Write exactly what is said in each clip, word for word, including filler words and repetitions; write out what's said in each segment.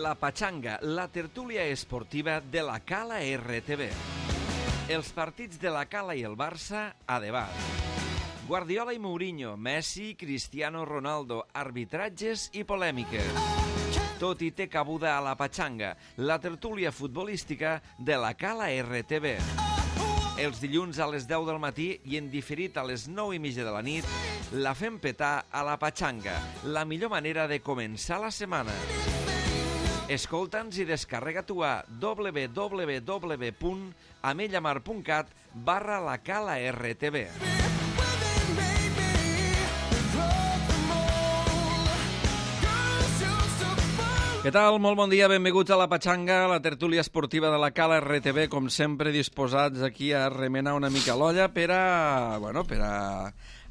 La Pachanga, la tertúlia esportiva de la Cala R T V. Els partits de la Cala i el Barça a debat. Guardiola i Mourinho, Messi, Cristiano Ronaldo, arbitratges i polèmiques. Tot hi té cabuda a La Pachanga, la tertúlia futbolística de la Cala R T V. Els dilluns a les deu del matí i en diferit a les nou i mitja de la nit, la fem petar a La Pachanga, la millor manera de començar la setmana. Escolta'ns i descarrega-t'ho a w w w punt amellamar punt cat barra la Cala R T V. Què tal? Molt bon dia, benvinguts a La Pachanga, la tertúlia esportiva de la Cala R T V, com sempre disposats aquí a remenar una mica l'olla per a, bueno, per a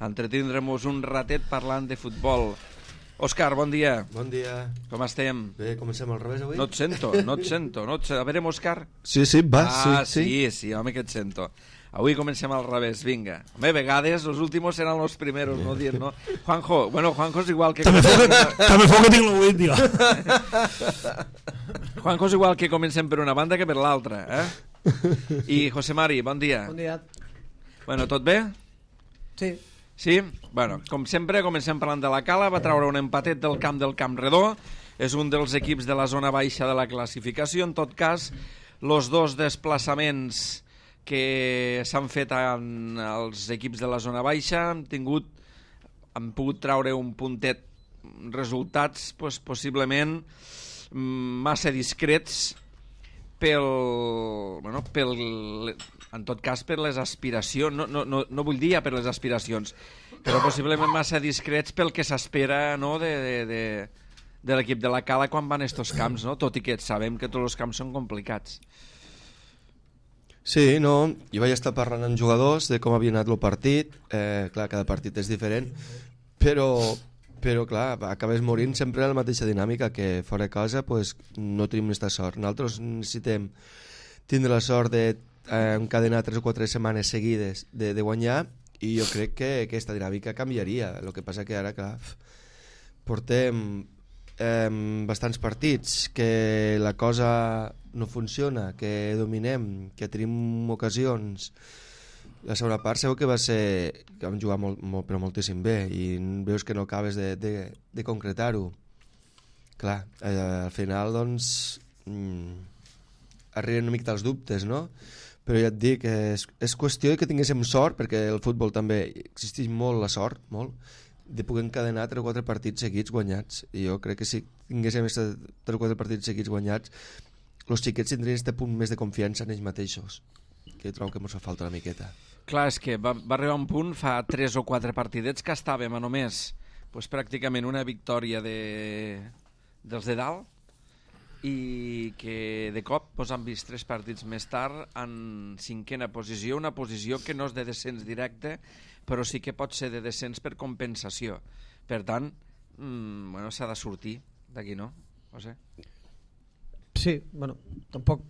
entretindre-nos un ratet parlant de futbol. Òscar, bon dia. Bon dia. Com estem? Bé, comencem al revés avui? No et sento, no et sento. No et sento. A veure, Òscar. Sí, sí, va, ah, sí, sí. Sí, sí, home, que et sento. Avui comencem al revés, vinga. Home, a vegades els últimos seran los primeros, no dir, no? Juanjo, bueno, Juanjo és igual que... També fo que tinc l'oït, tio. Juanjo és igual que comencem per una banda que per l'altra, eh? I José Mari, bon dia. Bon dia. Bueno, tot bé? Sí. Sí? Bueno, com sempre, comencem parlant de la Cala. Va treure un empatet del camp del Camp Redó. És un dels equips de la zona baixa de la classificació. En tot cas, els dos desplaçaments que s'han fet en els equips de la zona baixa han tingut, han pogut treure un puntet, resultats pues, possiblement massa discrets pel, bueno, pel, en tot cas per les aspiracions, no, no, no, no vull dir ja per les aspiracions, però possiblement massa discrets pel que s'espera, no, de, de, de, de l'equip de la Cala quan van a estos camps, no? Tot i que sabem que tots els camps són complicats. Sí, no, jo vaig estar parlant amb jugadors de com havia anat el partit, eh, clar, cada partit és diferent, però, però clar, acabes morint sempre en la mateixa dinàmica, que fora de casa pues, no tenim aquesta sort. Nosaltres necessitem tindre la sort de eh, encadenar tres o quatre setmanes seguides de, de guanyar, i jo crec que aquesta dinàmica canviaria. El que passa que ara, clar, portem eh, bastants partits que la cosa no funciona, que dominem, que tenim ocasions. La segona part segur que va ser que vam jugar molt, molt, però moltíssim bé, i veus que no acabes de, de, de concretar-ho. Clar, eh, al final doncs mm, arriben una mica els dubtes, no? Però ja et dic, és, és qüestió que tinguéssim sort, perquè el futbol també existeix molt la sort, molt, de poder encadenar tres o quatre partits seguits guanyats. I jo crec que si tinguéssim tres o quatre partits seguits guanyats, els xiquets tindrien aquest punt més de confiança en ells mateixos, que trobo que ens fa falta una miqueta. Clar, és que va, va arribar un punt fa tres o quatre partidets que estàvem a només pues, pràcticament una victòria de, dels de dalt, i que de cop pues, han vist tres partits més tard en cinquena posició, una posició que no és de descens directe, però sí que pot ser de descens per compensació. Per tant, mmm, bueno, s'ha de sortir d'aquí, no? No sé. Sí, bueno, tampoc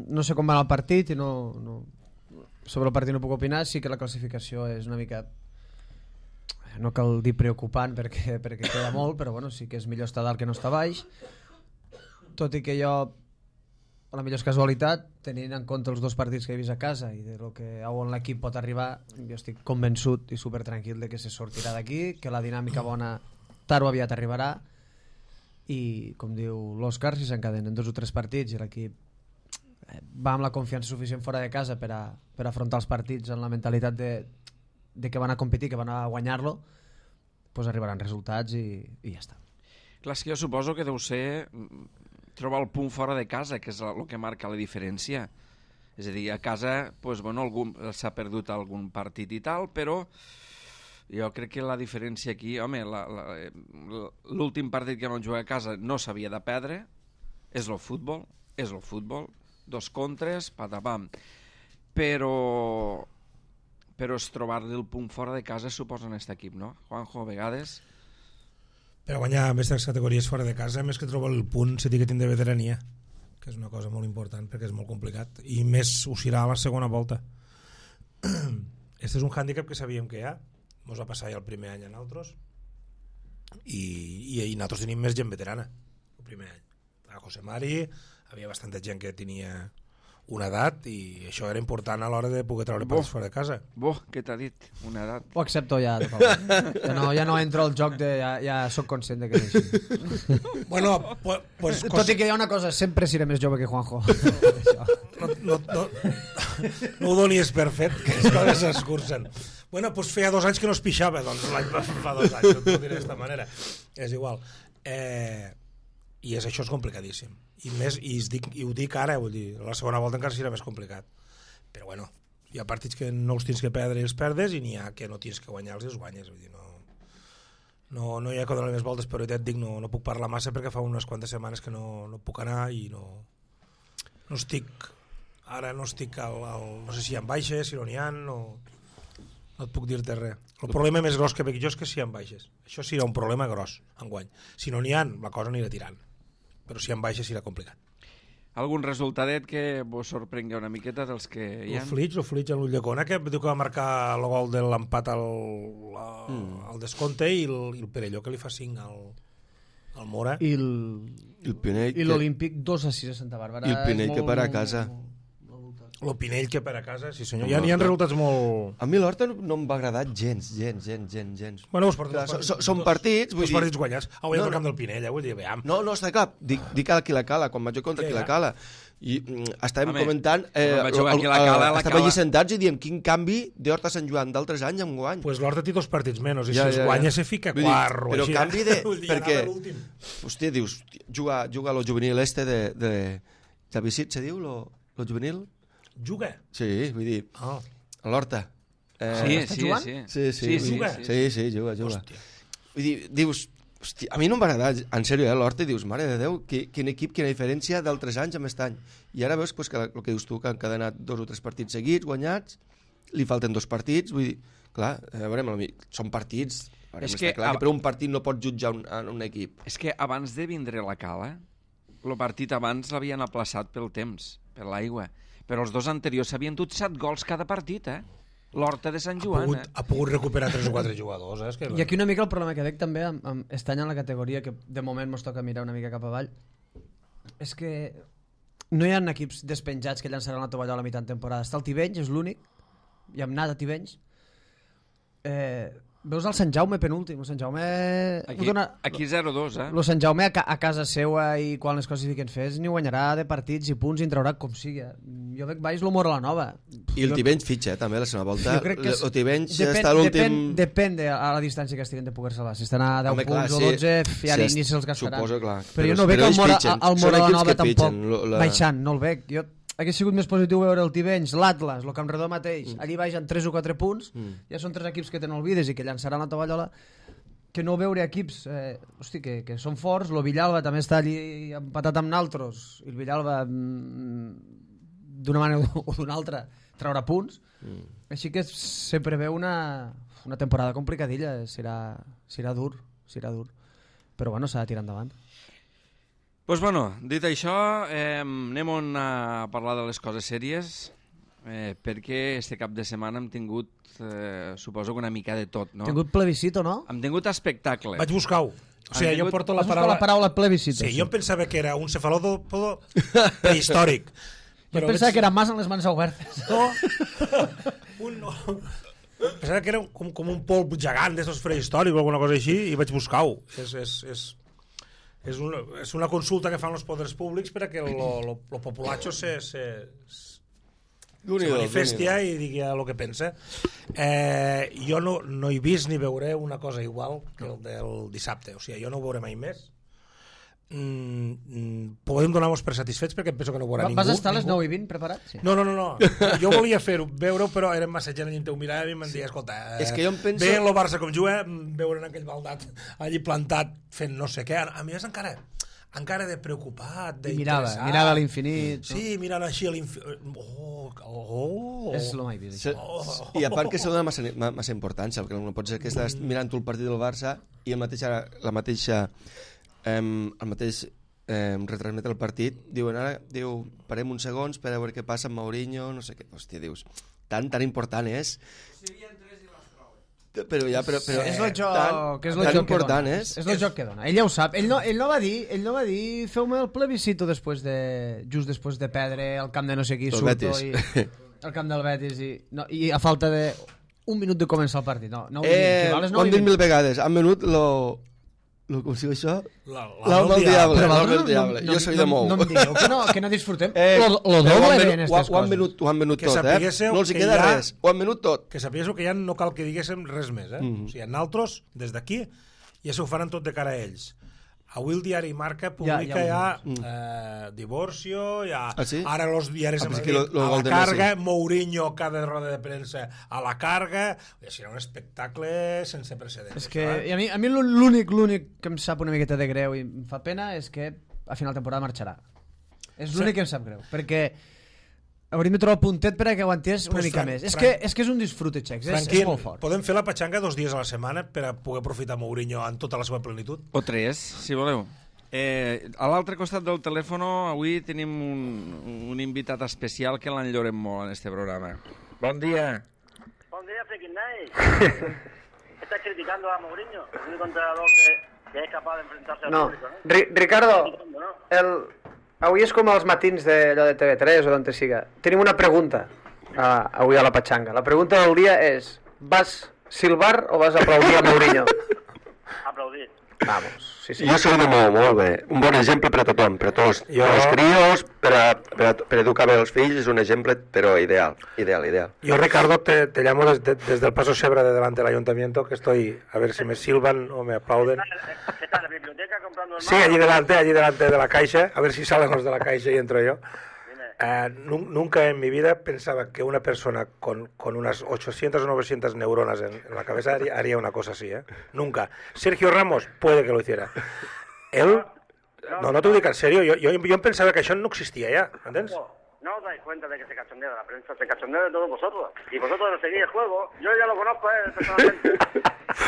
no sé com va el partit i no, no, sobre el partit no puc opinar. Sí que la classificació és una mica, no cal dir preocupant perquè, perquè queda molt, però bueno, sí que és millor estar dalt que no estar baix, tot i que jo, a la millor casualitat, tenint en compte els dos partits que he vist a casa i de lo que a on l'equip pot arribar, jo estic convençut i supertranquil de que se sortirà d'aquí, que la dinàmica bona tard o aviat arribarà, i com diu l'Òscar, si s'encadenen dos o tres partits i l'equip va amb la confiança suficient fora de casa per a, per a afrontar els partits amb la mentalitat de, de que van a competir, que van a guanyar-lo, doncs arribaran resultats i, i ja està. Clar, és que jo suposo que deu ser trobar el punt fora de casa, que és el que marca la diferència. És a dir, a casa pues, bueno, s'ha perdut algun partit i tal, però jo crec que la diferència aquí, home, l'últim partit que vam jugar a casa no s'havia de perdre, és el futbol, és el futbol, dos contres, patapam. Però, però és trobar-li el punt fora de casa suposa en aquest equip, no? Juanjo, a vegades... Per guanyar aquestes categories fora de casa, més que trobar el punt, se té que tindre veterania, que és una cosa molt important perquè és molt complicat, i més ho serà a la segona volta. Este és un hàndicap que sabíem que hi ha, ens va passar ja el primer any a nosaltres, i, i, i nosaltres tenim més gent veterana el primer any. a José Mari, havia bastanta gent que tenia una edat i això era important a l'hora de poder treure partits fora de casa. Boh, què t'ha dit? Una edat. Ho accepto ja, ja no, ja no entro al joc de... Ja, ja soc conscient de que és així. Bueno, pues, pues, tot i que hi ha una cosa, sempre seré més jove que Juanjo. no, no, no, no ho donis per fet, que les coses s'escurcen. Bueno, pues feia dos anys que no es pixava, doncs l'any fa dos anys, ho diré d'esta manera. És igual. Eh, I és, això és complicadíssim. I, més, i, dic, i ho dic ara, vull dir, la segona volta encara serà més complicat. Però bueno, hi ha partits que no els tens que perdre i els perdes i n'hi ha que no tens que guanyar-los i els guanyes. Vull dir, no, no, no hi ha que donar més voltes, però ja et dic, no, no puc parlar massa perquè fa unes quantes setmanes que no, no puc anar i no, no estic, ara no estic al, al, no sé si hi ha baixes, si no n'hi ha, no, no et puc dir-te res. El problema més gros que veig jo és que si hi ha baixes. Això serà un problema gros, enguany. Si no n'hi ha, la cosa anirà tirant. Però si hi ha baixes serà complicat. Algun resultadet que vos sorprengui una miqueta dels que hi ha? El Flix, el Flix en l'Ulldecona, que diu que va marcar el gol de l'empat al, mm. al descompte i el, i el Perelló que li fa cinc al, al Mora. I el, el Pinell i l'Olímpic dos a sis a Santa Bàrbara. I el Pinell que per a casa. El Pinell que per a casa, sí senyor. Hi ha, hi ha resultats molt... A mi l'Horta no, no em va agradar gens, gens, gens, gens, gens. Bueno, els partits, clar, els partits, so, són partits, vull els dir... partits guanyats. Avui no, no, al no. camp del Pinell, eh? Vull dir, veam. No, no, està clar. Dic, dic a Quilacala, quan vaig contra Sí, Quilacala. I mm, estàvem Home, comentant... Eh, quan vaig jugar a Quilacala, la estàvem Cala- allí sentats i diem quin canvi d'Horta Sant Joan d'altres anys amb guany. Pues l'Horta té dos partits menys, i Ja, si els ja, guanya ja. se fica Vull dir, quart o però així. canvi de... Vull dir, perquè, anava l'últim. hòstia, dius, juga, juga a lo juvenil este de... de, de Vicit, se diu, lo, lo juvenil? Juga? Sí, vull dir, Ah. a l'Horta. Eh, Sí, està sí, jugant? sí. Sí, sí, sí, sí, juga? sí, sí, sí, juga, juga. Hòstia. Vull dir, dius, hòstia, a mi no em va agradar, en sèrio, eh, l'Horta, i dius, mare de Déu, qui, quin equip, quina diferència d'altres anys amb aquest any. I ara veus pues, que el que dius tu, que han encadenat dos o tres partits seguits, guanyats, li falten dos partits, vull dir, clar, a veure, són partits, a veure, És està que clar a- que per un partit no pots jutjar un, un equip. És que abans de vindre la Cala, el partit abans l'havien aplaçat pel temps, per l'aigua. Però els dos anteriors s'havien dut set gols cada partit, eh? L'Horta de Sant Ha Joan, pogut, eh? ha pogut recuperar tres o quatre jugadors, eh? És que... I aquí una mica el problema que veig també amb, amb este any en la categoria, que de moment mos toca mirar una mica cap avall, és que no hi ha equips despenjats que llançaran la tovallola a mitjan temporada. Està el Tivenys, és l'únic, i amb nada Tivenys. Eh, veus el Sant Jaume penúltim, el Sant Jaume... Aquí, dona, aquí zero dos, eh? el Sant Jaume a, ca a casa seua i quan les coses fiquen fes ni guanyarà de partits i punts i en traurà com sigui. Jo veig baix l'humor a la nova. I el Jo- Tivenys fitxa, eh, també, la segona volta. Jo crec que és- El Tivenys depèn, està a l'últim... Depèn, depèn de a la distància que estiguen de poder salvar. Si estan a deu Home, punts clar, o sí, dotze, ja sí, ni se'ls gastaran. suposo, clar. Però, Però- jo no veig però el ells Mora, fitxen. el Són Mora la equips Nova que tampoc fitxen, lo- la- baixant, no el veig. Jo hauria sigut més positiu veure el Tivenys, l'Atlas, el Campredó mateix, Mm. allí baixen tres o quatre punts, Mm. ja són tres equips que te n'olvides i que llançaran la tovallola, que no veure equips eh, hosti, que, que són forts. El Villalba també està allí empatat amb naltros, i el Villalba mm, d'una manera o d'una altra traurà punts. Mm. Així que se preveu una, una temporada complicadilla, serà, serà dur, serà dur. Però bueno, s'ha de tirar endavant. Pues bueno, dit això, eh, anem a parlar de les coses sèries, eh, perquè este cap de setmana hem tingut, eh, suposo que una mica de tot, no? No? Tingut plebiscito, no? Hem tingut espectacle. Vaig buscar-ho. O sigui, Han jo tingut- porto la Has buscat paraula... la paraula plebiscito. Sí, jo em pensava que era un cefalòpodo prehistòric. Jo pensava que era mas en les mans obertes. No. un, no. Pensava que era com, com un polp gegant d'estos prehistòrics o alguna cosa així i vaig buscar-ho. És, és, és, és, una, és una consulta que fan els poders públics per a que lo, lo, lo populacho se, se, se manifestia i digui el que pensa. Eh, jo no, no he vist ni veuré una cosa igual que el del dissabte. O sigui, jo no ho veuré mai més. Mm, podem donar-nos per satisfets perquè penso que no ho veurà ningú. Vas estar a les ningú. nou i vint preparat? Sí. No, no, no, no. Jo volia fer-ho, veure-ho, però érem massa gent allà en teu mirada i em deia, escolta, eh, És que jo em penso- bé el Barça com juga, veure en aquell baldat allí plantat fent no sé què. A mi és encara encara de preocupat, I mirava, d'interessat. mirava a l'infinit. Sí, mirant així a l'infinit. Oh, oh. És el mai vist. Se, I a part que se dona massa, ma- massa importància, perquè no pot ser que estàs mirant tu el partit del Barça i el mateix, la mateixa eh, el mateix eh, retransmet el partit, diuen ara, diu, parem uns segons per a veure què passa amb Mourinho, no sé què, hòstia, dius, tan, tan important és. Però ja, però, però és el joc, tan, que és el tan joc important que dona. és. És el joc que dona. Ell ja ho sap. Ell no, ell no va dir, ell no va dir feu-me el plebiscito després de, just després de perdre el camp de no sé qui, El surto Betis. i el camp del Betis i, no, i a falta de un minut de començar el partit. No, no, Eh, val, ho han dit mil vegades. Han venut lo... lo com si això? L'alma del diable. Però L'alma del no, diable. no, Jo soy no, de Mou. no em digueu que no, que no disfrutem. Eh, lo, lo però ho doble han bé venut- en ho, aquestes ho han coses. venut, ho han venut Que tot, eh? sapiguéssiu No els hi que queda hi ha- res. Ho han venut tot. Que sapiguéssiu que ja no cal que diguéssim res més, eh? Mhm. O sigui, nosaltres, des d'aquí, ja s'ho faran tot de cara a ells. Avui el diari Marca publica Ja, ja, ja eh, divorcio, ja, Ah, sí? ara els diaris Ah, a pues Madrid, aquí lo- lo a gol la de carga, Messi. Mourinho cada roda de premsa a la carga, i serà un espectacle sense precedents. És que això, eh? i a mi, a mi l'únic l'únic que em sap una miqueta de greu i em fa pena és que a final de temporada marxarà. És l'únic Sí. que em sap greu, perquè hauríem de trobar el puntet per a que aguantés una Pues, mica Fran- més. És Fran- que, és que és un disfrute, Xecs, és, Tranquil, és molt fort. podem fer la patxanga dos dies a la setmana per a poder aprofitar Mourinho en tota la seva plenitud? O tres, si voleu. Eh, a l'altre costat del telèfon avui tenim un, un invitat especial que l'enllorem molt en este programa. Bon dia. Buen día, Freaking Night. Estás criticando a Mourinho, el único entrenador que, que es capaz de enfrentarse al No, público, ¿no? Ri Ricardo, Criticando, ¿no? el... avui és com els matins de, allò de T V tres o d'on te siga. Tenim una pregunta uh, avui a la Patxanga. La pregunta del dia és: vas silbar o vas aplaudir a Mourinho? Aplaudir. Vamos, sí, sí. Jo soy de Mou, molt bé. Un bon exemple per a tothom, per a tots. Jo- Per als crios, per, a, per, a, per educar bé els fills, és un exemple, però ideal, ideal, ideal. Yo, Ricardo, te, te llamo desde, desde el paso cebra de delante del ayuntamiento, que estoy a ver si me silban o me aplauden. ¿Qué tal? ¿La biblioteca comprando el Sí, allí delante, allí delante de la caixa, a ver si salen los de la caixa y entro yo. Eh, nu- nunca en mi vida pensaba que una persona con, con unas ochocientas o novecientas neuronas en, en la cabeza haría, haría una cosa así, ¿eh? Nunca. Sergio Ramos puede que lo hiciera. Él... No, no te lo digo en serio, yo, yo, yo pensaba que eso no existía ya, ¿entiendes? No os dais cuenta de que se cachondea de la prensa, se cachondea de todos vosotros. Y vosotros no seguís el juego. Yo ya lo conozco, eh, personalmente.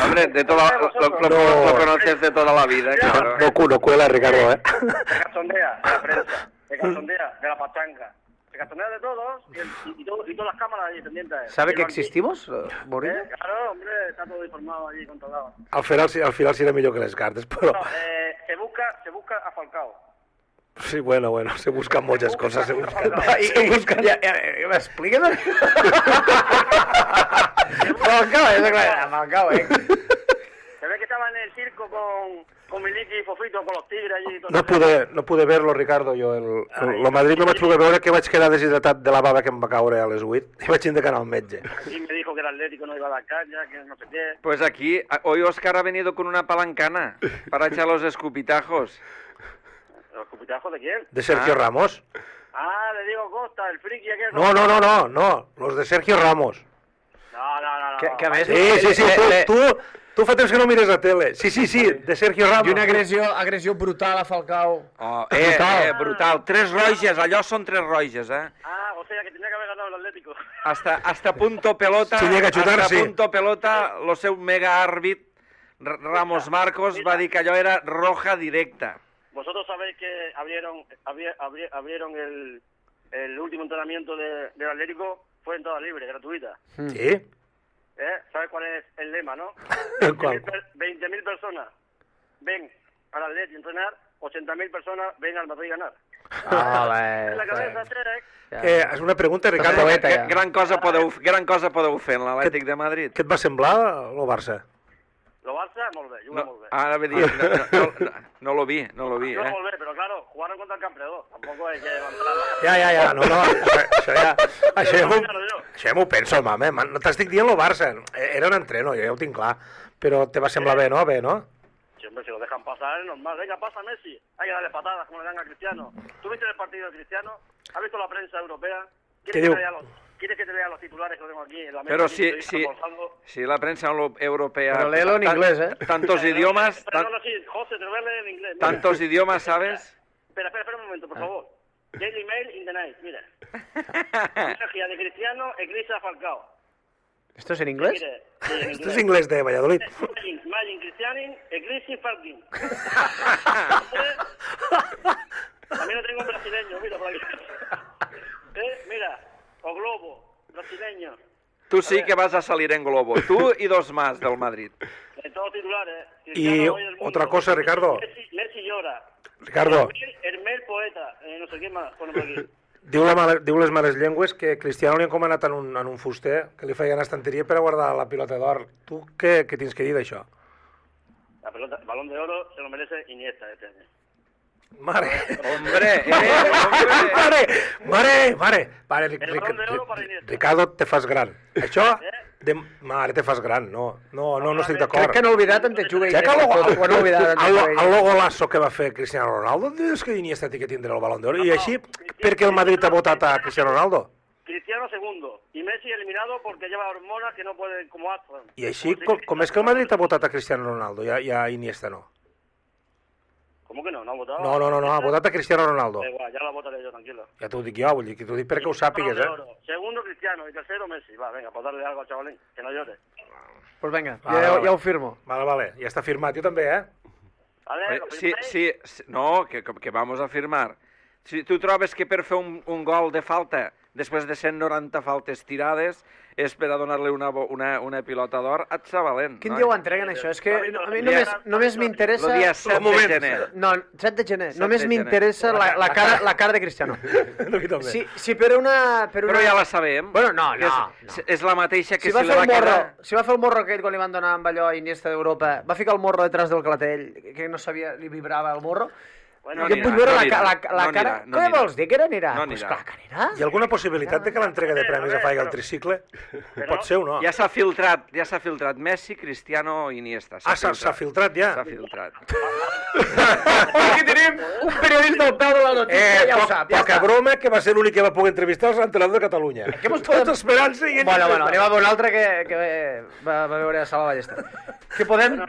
Hombre, de toda, lo, lo, lo, lo conoces de toda la vida, claro. No, cu- no cuela, Ricardo, ¿eh? Se cachondea de la prensa, se cachondea de la pachanga, se cachondea de todos y, el- y, y todo- y todas las cámaras allí pendientes. ¿Sabe Y que el banquillo, existimos, Mourinho? ¿eh? Claro, hombre, está todo informado allí, controlado. Al final, sí- al final será mejor que les cartes, pero... No, eh, se busca, se busca a Falcao. Sí, bueno, bueno, se buscan muchas cosas, se buscan... I- se buscan... Ja, ja, ja, explíque'm. Falcao, és clar, Falcao, eh? Se ve que estaba en el circo con, con Miliki y Fofito, con los tigres allí y todo No eso. pude, no pude verlo, Ricardo, jo. El, el, el Madrid no vaig poder veure que vaig quedar deshidratat de la bava que em va caure a les vuit i vaig haver d'anar al metge. Y me dijo que el Atlético no iba a dar caña, que no sé qué. Pues aquí, a- hoy Oscar ha venido con una palancana para echar los escupitajos. ¿Los cupitajos de quién? De Sergio Ah. Ramos. Ah, le digo Costa, el friki aquel. No, no, no, no, no, los de Sergio Ramos. No, no, no. no. Que, que a més... Sí, sí, sí, le- tu, tu, tu fa temps que no mires la tele. Sí, sí, sí, de Sergio Ramos. I una agressió, agressió brutal a Falcao. Oh, eh, eh, brutal. Tres roges, allò són tres roges, eh? Ah, o sea que tenía que haber ganado el Atlético. Hasta, hasta punto pelota, Si llega a chutar, hasta sí. punto pelota, lo seu mega àrbit, R- Ramos Marcos, va dir que allò era roja directa. Vosotros sabéis que abrieron, abri- abri- abrieron el, el último entrenamiento de, del Atlético, fue entrada libre, gratuita. Sí? ¿Eh? ¿Sabes cuál es el lema, no? ¿Cuál? veinte mil personas ven al Atlético a entrenar, ochenta mil personas ven al Madrid a ganar. Ah, En la cabeza, Terek. Eh, és una pregunta, Ricardo. Poeta, Gra- ja. Gran cosa podeu, gran cosa podeu fer en l'Atlètic de Madrid. Què et va semblar el Barça? Lo Barça, molt bé, juga No, molt bé. ara ve dir, no, no, no, no lo vi, no lo vi, Juga eh? molt bé, però claro, jugaron contra el campeón. Tampoco hay que levantar la Ja, ja, ja, no, no, això, això ja... Això ja m'ho jo. això ja m'ho penso, mame, man, no t'estic dient el Barça, era un entreno, jo ja ho tinc clar, però te va semblar bé, no? Bé, no? Sí, hombre, si lo dejan pasar es normal. Venga, pasa Messi. Hay que darle patadas como le dan a Cristiano. ¿Tú viste el partido de Cristiano? ¿Has visto la prensa europea? ¿Qué ¿Quieres digo? que, te lea los, ¿Quieres que te lea los titulares que lo tengo aquí en la mesa? Pero aquí, si, periodistas si, almorzando? si la prensa euro- europea... Pero léelo en tan- inglés, ¿eh? Tantos idiomas, Pero tan- no, no, sí, José, te lo voy a leer en inglés. Mira. tantos idiomas, ¿sabes? Espera, espera, espera un momento, por favor. Daily Mail in the night, mira. Magia de Cristiano, Eclipse Falcao. ¿Esto es en inglés? Mire, sí, en Esto es inglés de Valladolid. Magin, Magin Cristianin, Eclipse Falcao. También lo tengo un brasileño, mira por aquí. ¿Eh? Mira, o Globo, brasileño. Tú sí que vas a salir en globo. Tú y dos más del Madrid. De todos titulares. Y otra cosa, Ricardo. Messi, Messi llora. Ricardo. Hermel poeta. Eh, no sé quién más. Pone por aquí. Diu, la mala, diu les males llengües que Cristiano li ha encomanat en un, en un fuster que li feia una estanteria per a guardar la pilota d'or. Tu què, què tens que dir d'això? La pelota, el balón de oro se lo merece Iniesta este año. Mare! Hombre, eh, hombre. Mare! Mare! Mare! Mare, El balón de oro para Iniesta. Ricardo, te fas gran. Això... De... Mare, te fas gran. No, no, no, no estic Crec d'acord. que no oblidat en te juga Ja que Iniesta. el, tot, quan no oblidat en te el, juga el Iniesta. logolasso que va fer Cristiano Ronaldo, dius que Iniesta té que tindre el Balón d'Or. I així, per què el Madrid ha votat a Cristiano Ronaldo? Cristiano segundo. Y Messi eliminado porque lleva hormonas que no puede, como Aston. I així, com, com és que el Madrid ha votat a Cristiano Ronaldo i a, i a Iniesta no? ¿Cómo que no? ¿No ha votado? No, no, no, no, ha votat a Cristiano Ronaldo. Da igual, ya la votaré yo, tranquilo. Ja t'ho dic jo, vull dir que t'ho dic perquè ho sàpigues, Balón de eh? oro. Segundo Cristiano y tercero Messi. Va, venga, pues darle algo al chavalín, que no llore. Pues venga, Vale, ja, vale. ja ho firmo. Vale, vale, ja està firmat. Jo també, eh? Vale, Eh, ¿lo Sí, firmáis? sí, sí, no, que, que vamos a firmar. Si tu trobes que per fer un, un gol de falta, després de cent noranta faltes tirades, és per a donar-li una, bo- una, una pilota d'or, et sa valent. Quin no? dia ho entreguen, això? És que No, a mi no, només, no, només no, m'interessa... El dia set de gener. No, set de gener. set Només de gener. m'interessa la, la, cara, la cara de Cristiano. A mi també. Si, si per una... Per una... Però ja la sabem. Bueno, no, Que no, És, és la mateixa que Si si, va, li fer va el morro, quedar... si va fer el morro aquell quan li van donar amb allò a Iniesta d'Europa, va ficar el morro detrás del clatell, que no sabia, li vibrava el morro. Bueno, No jo anirà, vull veure no la, anirà, ca- la, la no cara... anirà, no Què anirà. vols dir, que era anirà? No Pues anirà. clar que anirà. Hi ha alguna possibilitat de que l'entrega de premis es faci al tricicle? Pot ser o no? Ja s'ha filtrat, ja s'ha filtrat Messi, Cristiano i Iniesta. Ah, s'ha s'ha filtrat ja? S'ha filtrat. Aquí tenim un periodista al peu de la notícia, Eh, ja ho poc, sap, ja poca està. broma, que va ser l'únic que va poder entrevistar els entrenadors de Catalunya. Què mos podem- Tota esperança i... Bueno, bueno, anem a veure un altre que, que va, va veure a Sala Ballester. Que podem...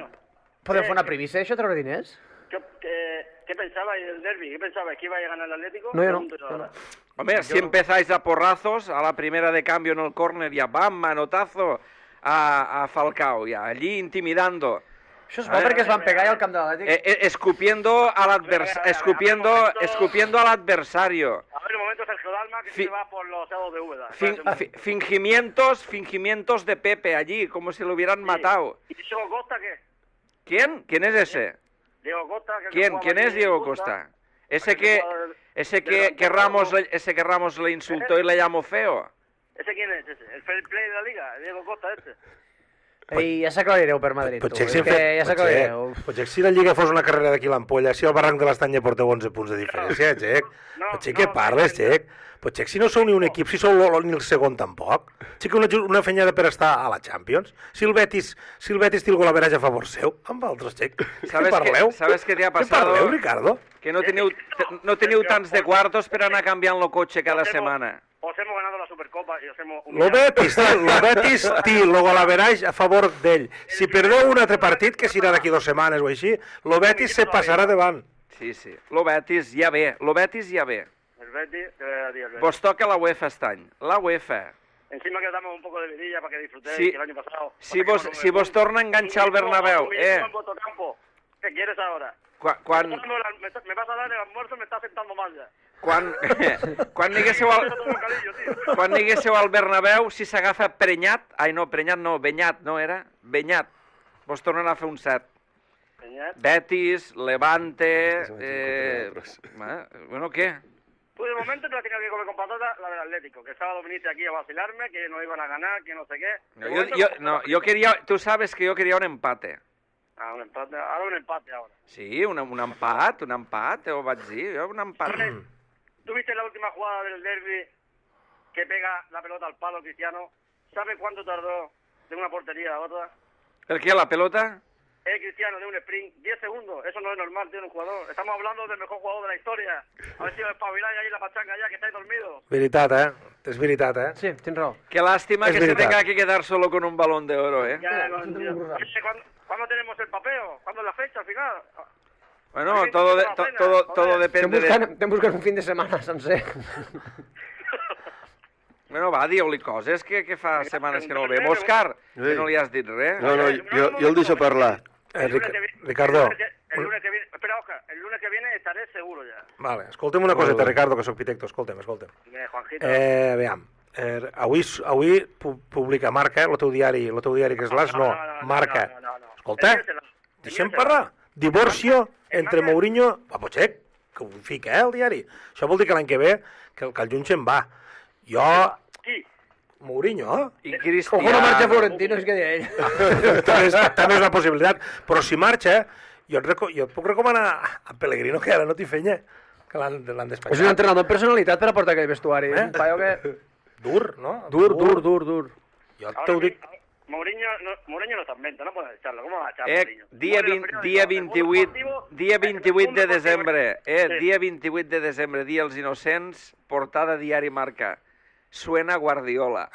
Podem fer una primícia, això, treure diners? ¿Qué, qué, qué pensabais del derbi? ¿Qué pensabais? ¿Que iba a ganar el Atlético? No, yo no, Pregunto yo yo ahora. Hombre, si empezáis a porrazos, a la primera de cambio en el córner, ya bam, manotazo a, a Falcao, ya allí intimidando, Això es va perquè es van pegar ja al camp de l'Atlètic. eh, eh, escupiendo al advers escupiendo, escupiendo al adversario. A ver, un momento, Sergio Dalma, que Fi- se va por los lados de Úbeda. Fin- Espérate un fi- fingimientos, fingimientos de Pepe allí, como si lo hubieran matado. ¿Y Diego Costa qué? ¿Quién? ¿Quién es ese? Diego Costa. Que ¿Quién? jugaba ¿Quién aquí es en Diego Costa. Costa? Ese Aquel que, jugador ese del que, Banco que Ramos, Rojo. le- ese que Ramos le insultó y le llamó feo. ¿Ese quién es ese? ¿El fair play de la liga? ¿El Diego Costa este? I ja s'aclarireu per Madrid, tu. Potser, És si, que ja potser, s'aclarireu. potser si la Lliga fos una carrera d'aquí l'ampolla, si el barranc de l'Estany ja porteu onze punts de diferència, Xec. No, Potser no, què no, parles, no. Xec? Potser si no sou ni un equip, si sou l- ni el segon tampoc. Sí que una, ju- una fenyada per estar a la Champions. Si el Betis, si el Betis té el golaveratge a favor seu, amb altres, Xec. ¿Sabes Què parleu? qué- sabes qué te ha Què pasado? parleu, Ricardo? Que no teniu, no teniu tants de quartos per anar canviant el cotxe cada Os hemos- setmana. Os hemos ganado la Supercopa y os hemos Lo humillado. Betis, lo Betis té el golaveratge a favor d'ell. Si perdeu un altre partit, que serà d'aquí dues setmanes o així, lo Betis se passarà davant. Sí, sí. Lo Betis ja ve, lo Betis ja ve. El Betis, te voy a decir el Betis. Vos toca la UEFA este any. La UEFA. Encima que damos un poco de vidilla para que disfrutéis, Sí. que el año pasado... Si vos, si vos torna a enganxar el Bernabéu, eh? En vuestro campo. ¿Qué quieres ahora? Quan, quan, Me, estás- me vas a dar el almuerzo, me estás sentando mal ya. quan, quan aniguéssiu al, Todo bocadillo, tío. quan aniguéssiu al Bernabéu, si s'agafa Prenyat, ai no, Prenyat no, Benyat, no era? Benyat. Vos tornen a fer un set. Peñat. Betis, Levante... Eh, eh, bueno, què? Tú de momento te la tienes que comer con patata la del Atlético, que el sábado viniste aquí a vacilarme, que no iban a ganar, que no sé qué. No, De yo, momento, yo, con no, patata. yo quería... Tú sabes que yo quería un empate. Ah, un empate, ahora un empate ahora. Sí, un, un empat, un empat, ho vaig dir, jo, un empat. ¿Tú viste la última jugada del derby que pega la pelota al palo Cristiano? ¿Sabes cuánto tardó de una portería a otra? ¿El qué, la pelota? Eh, Cristiano, de un sprint, diez segundos. Eso no es normal, tío, en un jugador. Estamos hablando del mejor jugador de la historia. A ver si os espabiláis ahí la pachanga ya, que estáis dormidos. Veritat, eh? És veritat, eh? Sí, tens raó. Qué lástima Es que se verdad. tenga que quedar solo con un balón de oro, ¿eh? Ya, no, tío. Oye, ¿cuándo, ¿cuándo tenemos el papeo? ¿Cuándo es la fecha al final? Bueno, todo, de- to- todo, todo Estem depende de... buscant, estem buscant un fin de setmana sencer. Bueno, va, dieu-li coses, que, que fa setmanes que no el veiem. Òscar, que no li has dit res. No, no, jo, jo el deixo parlar. Eh, El lunes Ric- que viene- Ricardo, El lunes que, el lunes que viene... Espera, Oscar. El lunes que viene estaré seguro ya. vale, escolta'm una coseta, Ricardo, que sóc pitecto, escolta'm, escolta'm. Dime, Juanjito. Eh, veam, Eh, avui, avui pu- publica Marca, el teu diari, el teu diari que és l'As, no, Marca. No, no, no. Escolta, deixem parlar. Divorcio entre Mourinho... Va, potser que ho fica, eh, el diari. Això vol dir que l'any que ve que el, que el juny se'n va. Jo... Qui? Mourinho, I Ojo, no Cristiano... marxa Florentino, és que deia ell. també, és, també és una possibilitat. Però si marxa, jo et, reco jo et puc recomanar a Pellegrino, que ara no t'hi fenya, que l'han despatxat. És un entrenador amb personalitat per a portar aquell vestuari. Eh? Un paio que... Dur, ¿no? Dur, dur, dur, dur. Jo Ahora te ho que- dic... Mourinho no, Mourinho no está en venta, no pueden echarlo. ¿Cómo va a echar Eh, Mourinho? dia, Muere vint, los dia periódicos, el mundo vint-i-vuit, deportivo, dia el vint-i-vuit mundo de deportivo- desembre, eh, Sí. dia vint-i-vuit de desembre, dia els innocents, portada diari Marca. Suena Guardiola.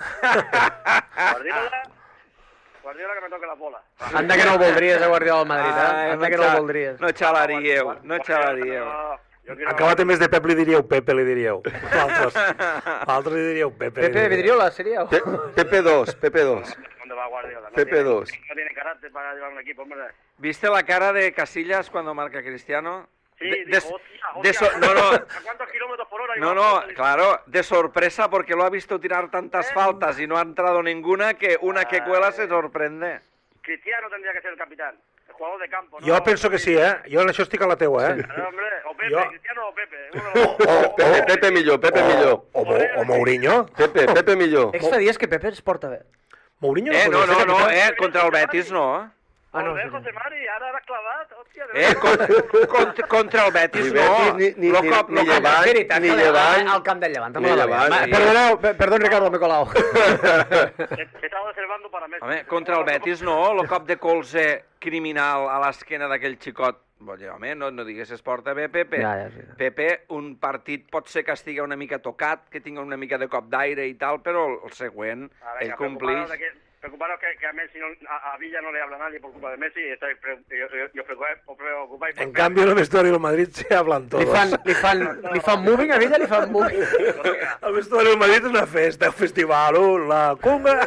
Guardiola, Guardiola que me toque la bola. Anda que no el voldries a Guardiola al Madrid, eh? Ai, Anda que no el xa- voldries. No xalaríeu, no xalaríeu. No, yo quiero- Acabat en vez de Pep li diríeu Pepe, li diríeu. Altres, altres li diríeu Pepe. li Pepe diríeu. Vidriola seria? Pe Pepe dos, Pepe dos. ¿Dónde va Guardiola? No Pepe tiene- dos. No tiene carácter para llevar un equipo, hombre. ¿Viste la cara de Casillas cuando marca Cristiano? Sí, De- dijo, de- hostia, de hostia, so- no, no. ¿a cuántos kilómetros por hora? No, iba no, Guardiola? claro, de sorpresa porque lo ha visto tirar tantas faltas y no ha entrado ninguna que una que cuela se sorprende. Cristiano tendría que ser el capitán, el jugador de campo. ¿no? Jo penso que sí, eh? Jo en això estic a la teua, eh? No, hombre, o Pepe, Jo- Cristiano o Pepe. uno de los O, dos. o, Pepe, Pepe millor, Pepe millor. O, Mo- o Mourinho. Pepe, Pepe millor. Extra dies que Pepe es porta bé. Mourinho Eh, no, podria no, ser no, capità. eh, contra el Betis no. Ah, no, Joder, sí, José Mari, ara l'has clavat, hòstia. de Eh, veritat. con- contra, contra el Betis Ni no. Betis, ni- ni- Lo ni- cop- ni lo cop- Llevant, És veritat, ni que Llevant, al camp del Llevant. ni Llevant, Va, sí. Perdoneu, pe- perdón, Ricardo, m'he colado. He estado reservando para Messi. Home, contra el Betis no, el cop de colze criminal a l'esquena d'aquell xicot. Vols dir, home, no, no digues es porta bé, Pepe. Ja, ja, sí. Pepe, un partit pot ser que estigui una mica tocat, que tingui una mica de cop d'aire i tal, però el, el següent, Ah, ell venga, complix. preocuparos, de que, preocuparos que, que a Messi, no, a, a Villa no le habla nadie por culpa de Messi y estáis pre, y, y, y os preocupáis, os preocupáis por En cambio, en el vestuari del Madrid se hablan Li todos. fan, li fan, li fan moving a Villa, li fan moving. El vestuari del Madrid és una festa, un festival, uh, la cunga.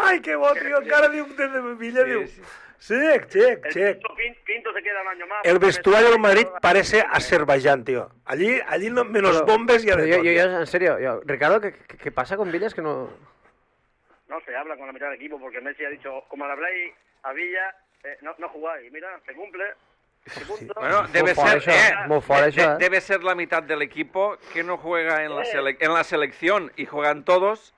Ai, que bo, tio, encara diu des de Villa, Sí, diu... sí. Check, check, El check. Pinto, Pin- Pinto se queda un año más. El porque vestuario del Messi- Madrid parece Azerbaiyán, tío. Allí, allí no, menos Però- bombes y però de jo, tot. jo, jo, en serio, jo, Ricardo, ¿qué, qué, qué pasa con Villa? Es que no... No se habla con la mitad del equipo porque Messi ha dicho, como le habláis a Villa, eh, no, no jugáis. Mira, se cumple. Se punto. Bueno, debe Molt fort, ser, això, eh, molt fort, de- això, de- eh? debe ser la mitad del equipo que no juega en la, sele- en la selección y juegan todos.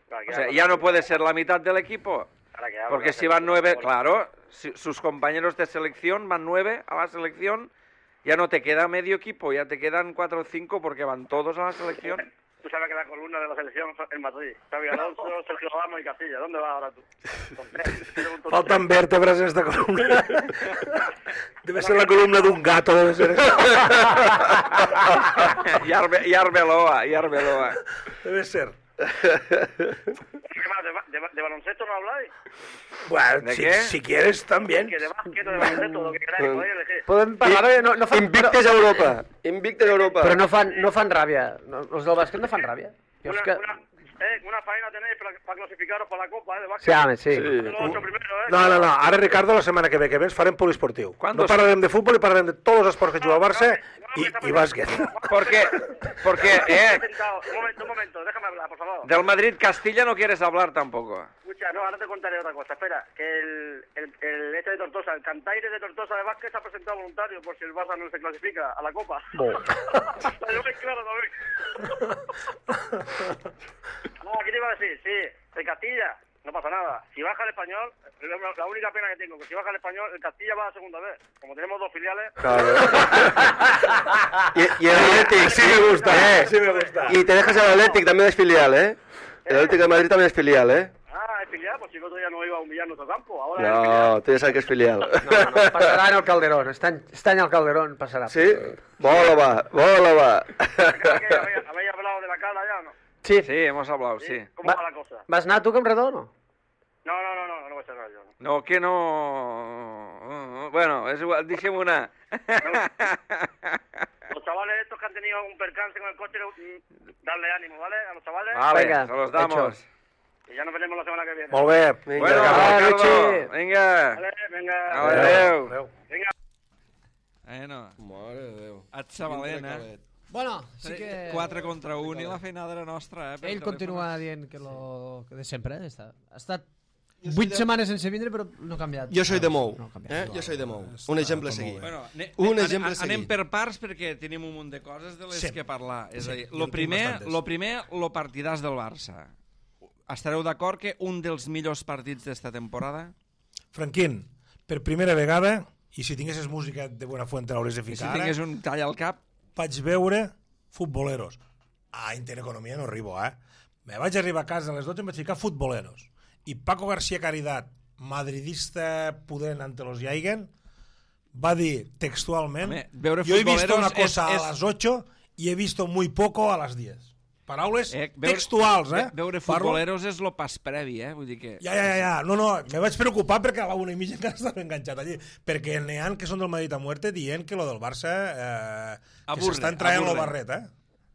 Para que O sea, habla- ya no puede ser la mitad del equipo. para que habla Porque la si van selección nueve, de fútbol. claro, si sus compañeros de selección van nueve a la selección, ya no te queda medio equipo, ya te quedan cuatro o cinco porque van todos a la selección. Tú sabes que la columna de la selección es en Madrid. Xavi Alonso, Sergio Ramos y Castilla. ¿Dónde vas ahora tú? Faltan vértebras en esta columna. Debe ser la columna d'un gato, debe ser eso. y, Arbe, y Arbeloa, y Arbeloa. Debe ser. ¿Qué más? ¿De, ba- de, ba- de baloncesto no habláis? Bueno, ¿De si, qué? si quieres también. Que de básquet o de baloncesto, lo que queráis, podéis elegir. Podem parlar de... No, no fan, Invictes a Europa. Invictes a Europa. però no fan, no fan ràbia. No, els del bàsquet no fan ràbia. Jo Una, és que... una, eh, una faena tenéis para, para clasificaros para la Copa, ¿eh? De básquet. Sí, home, sí. Sí. Los ocho primero, ¿eh? No, no, no. Ara, Ricardo, la setmana que ve que vens farem poliesportiu. ¿Cuándo No se- parlarem de futbol i parlarem de tots els esports que juga el Barça No, i, no, no, i bàsquet. Porque, porque eh, Sentado. Un momento, un momento, déjame hablar, por favor. del Madrid-Castilla no quieres hablar tampoco. Escucha, no, ahora te contaré otra cosa. Espera, que el, el, el este de Tortosa, el Cantaire de Tortosa de básquet se ha presentado voluntario por si el Barça no se clasifica a la Copa. Bo. La lleváis claro también. No, ¿qué te iba a decir? Sí, el Castilla, no pasa nada. Si baja el Español, la, la única pena que tengo, que si baja el Español, el Castilla va a segunda vez. Como tenemos dos filiales... Claro. y, y el Athletic. Sí me gusta, Eh, sí me gusta. Y te dejas el Athletic, también es filial, ¿eh? El Athletic de Madrid también es filial, ¿eh? Ah, es filial, pues si el otro día no iba a humillar nuestro campo. Ahora es filial. No, tú ya sabes que es filial. No, no, passarà en el Calderón. Este any, este any al Calderón passarà. Sí? Bola va, bola va. Creo que habéis, habéis hablado de la cala ya, ¿no? Sí. Sí, hemos hablado, sí. ¿Cómo Va- va la cosa? Vas anar tu, Campredó, o no? No, no, no, no, no voy a cerrar yo. No, que no... Bueno, es igual, dijimos una... Los chavales estos que han tenido un percance con el coche, mm, darle ánimo, ¿vale? A los chavales. Vale, Venga, se los damos. Y ya nos veremos la semana que viene. Molt bé. Vinga, Bueno, va, Ricardo, Richie. venga. Vale, venga. Adéu. Adéu. Venga. Bueno, Mare de Déu. et Sabalena. Bueno, sí que... quatre contra un i la feinada era nostra, eh? Ell continua dient que lo que de sempre, eh? Està... ha estat soy vuit de- setmanes sense vindre, però no ha canviat. Jo soy de Mou, No ha canviat. eh? Jo soy de Mou. Un exemple a seguir. Bueno, ne, Un ne, exemple an, a anem seguir. per parts perquè tenim un munt de coses de les Sí. que parlar. És Sí, a dir, jo lo en tinc primer, bastantes. lo primer, lo partidàs del Barça. Estareu d'acord que un dels millors partits d'esta temporada? Franquín, per primera vegada, i si tinguessis música de Buenafuente l'hauries de I si ficar ara, tingués un tall al cap, vaig veure futboleros. A Intereconomia no arribo, eh? Me vaig arribar a casa a les dotze i em vaig ficar futboleros. I Paco García Caridad, madridista pudent ante los Jaigen, va dir textualment: Home, veure yo he visto futboleros una cosa és- és- a las ocho y he visto muy poco a las diez. Paraules eh, veure, textuals, eh? ve- Veure Parlo- futboleros és lo pas previ, eh? Vull dir que... Ja, ja, ja, ja. No, no, me vaig preocupar perquè a la una i mitja encara estava enganxat allí. Perquè n'hi ha que són del Madrid a muerte dient que lo del Barça eh, que Aburre, s'estan traient lo aburre. barret, eh?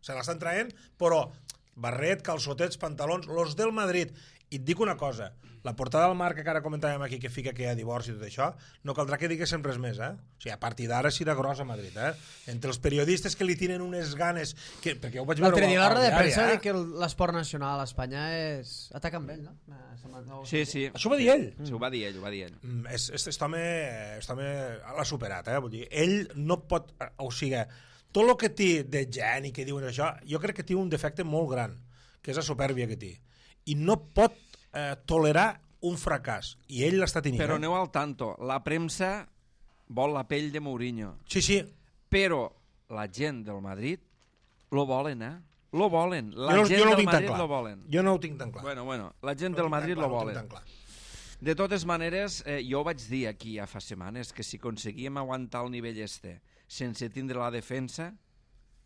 Se l'estan traient, però barret, calçotets, pantalons, los del Madrid. I et dic una cosa, la portada del Marc que ara comentàvem aquí que fica que hi ha divorci i tot això, no caldrà que diguéssim res més, eh? O sigui, a partir d'ara serà gros a Madrid, eh? Entre els periodistes que li tiren unes ganes... Que, perquè jo ho vaig veure L'altre dia a la al roda de diari, premsa va eh? dir que l'esport nacional a Espanya és... Ataca amb ell, no? Eh, sembla- no- Sí, sí. Això ho va dir ell. Sí, ho va dir ell, ho va dir ell. Mm, és, és, aquest home, aquest home l'ha superat, eh? Vull dir, ell no pot... O sigui, tot el que té de gent i que diuen això, jo crec que té un defecte molt gran, que és la supèrbia que té. I no pot eh, tolerar un fracàs. I ell l'està tenint. Però eh? aneu al tanto. La premsa vol la pell de Mourinho. Sí, sí. Però la gent del Madrid lo volen, eh? Lo volen. La jo no, gent jo no ho del tinc tan Madrid clar. lo volen. Jo no ho tinc tan clar. Bueno, bueno, la gent No ho del tinc tan Madrid clar, lo no ho tinc volen. tan clar. De totes maneres, eh, jo vaig dir aquí ja fa setmanes que si aconseguíem aguantar el nivell este sense tindre la defensa,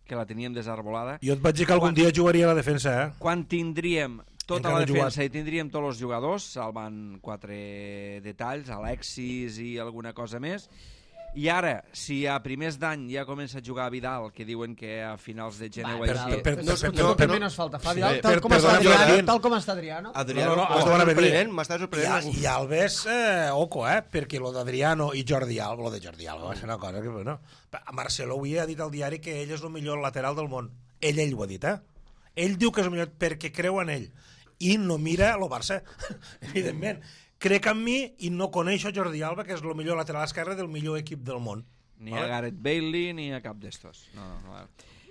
que la teníem desarbolada, Jo et vaig dir que algun Quan- dia jugaria a la defensa, eh? quan tindríem tota Encara la no he jugat. defensa i tindríem tots els jugadors, salvant quatre detalls, Alexis i alguna cosa més, i ara, si a primers d'any ja comença a jugar Vidal, que diuen que a finals de gener o per- així... per- per- No, no, no, no, no, però- no, falta. Fa sí, Vidal, per- tal com perdona, està Adriano, Adrián. tal com està Adriano. Adriano, No, no, no, m'està has de veure sorprenent, bé. m'està I, sorprenent. I Alves, eh, oco, eh? Perquè lo d'Adriano i Jordi Alba, lo de Jordi Alba va ser una cosa que, bueno... Marcelo avui ha dit al diari que ell és el millor lateral del món. Ell, ell ho ha dit, eh? Ell diu que és el millor perquè creu en ell. I no mira el Barça, evidentment. Crec en mi i no coneix a Jordi Alba, que és el millor lateral esquerre del millor equip del món. Ni a Gareth Bailey ni a cap d'estos. No, no, no.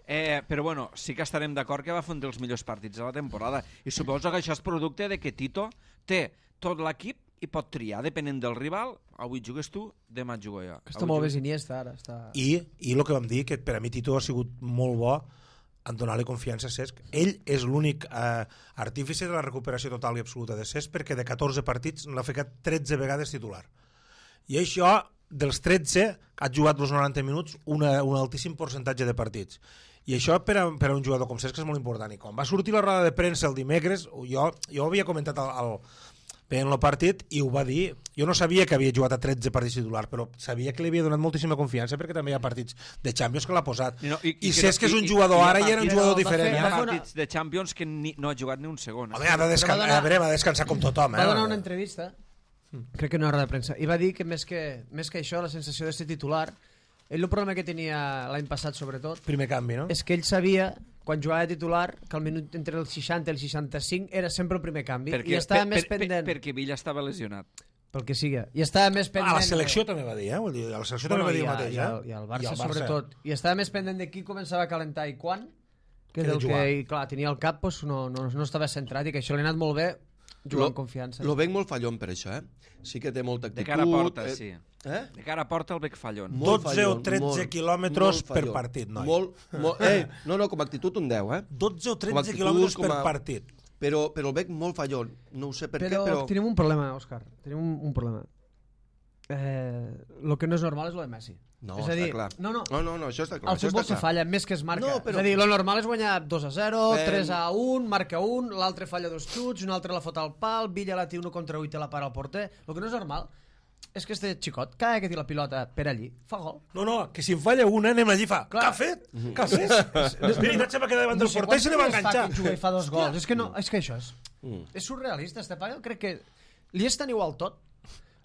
Eh, però bueno, sí que estarem d'acord que va fer un dels millors partits de la temporada i suposo que això és producte de que Tito té tot l'equip i pot triar, depenent del rival. Avui jugues tu, demà jugo jo. Està Avui molt bé jugues- Iniesta ara. Està... I, i el que vam dir, que per a mi Tito ha sigut molt bo en donar-li confiança a Cesc. Ell és l'únic eh, artífice de la recuperació total i absoluta de Cesc, perquè de catorze partits l'ha ficat tretze vegades titular. I això, dels tretze, ha jugat els noranta minuts una, un altíssim percentatge de partits. I això per a, per a un jugador com Cesc és molt important. I quan va sortir la roda de premsa el dimecres, jo, jo havia comentat el, el, veient el partit i ho va dir. Jo no sabia que havia jugat a tretze partits titular, però sabia que li havia donat moltíssima confiança perquè també hi ha partits de Champions que l'ha posat. I, no, I, i, I Cesc és un i- jugador i hi ha ara i era un partits- jugador va fer- diferent. Hi ha va fer una- partits de Champions que ni, no ha jugat ni un segon. Home, ha de descansar, Però va donar- a veure, va descansar com tothom. Eh? Va donar una entrevista, crec que en una roda de premsa, i va dir que més que, més que això, la sensació de ser titular, ell el problema que tenia l'any passat, sobretot, Primer canvi, no? és que ell sabia, quan jugava de titular, que al minut entre el seixanta i el seixanta-cinc era sempre el primer canvi, Perquè, i estava per, més per, pendent, per, perquè Villa estava lesionat. pel que sigui, i estava més pendent... A la selecció també va dir, eh? Vull dir, a la selecció Bueno, també va dir i, el a, mateix, i, eh? al, i al Barça, sobretot, i estava més pendent de qui començava a calentar i quan, que Que de del jugar. que, i, clar, tenia el cap, doncs, no, no, no estava centrat, i que això li ha anat molt bé, jugar amb confiança. Lo veig molt fallon per això, eh? Sí que té molta De actitud. cara a porta, eh, sí. Eh? De cara a porta el bec fallon. Molt dotze o tretze molt, quilòmetres molt per fallon. partit, noi. Molt, molt, eh, no, no, com a actitud un deu, eh? dotze o Com a tretze actitud, quilòmetres com per a- partit. Però, però el veig molt fallon. No ho sé per però, què, però... tenim un problema, Òscar, tenim un, un problema. Eh, lo que no és normal és lo de Messi. No, és a està dir, clar. No, no, No, no, no, això està clar. al això futbol està se clar. falla més que es marca. No, però- És a dir, lo normal és guanyar dos a zero, Eh, tres a un, marca un, l'altre falla dos xuts, un altre la fot al pal, Villa la té uno contra u i te la para al porter. El que no és normal és que este xicot, cada que té la pilota per allí, fa gol. No, no, que si en falla una anem allí i fa. Clar. Què ha fet? Què ha fet? És veritat, se va quedar davant del porter i se li va quants dies fa enganxar. que juga i fa dos gols. És que, no, és que això és... Mm. És surrealista, este paio. Crec que li és tan igual tot.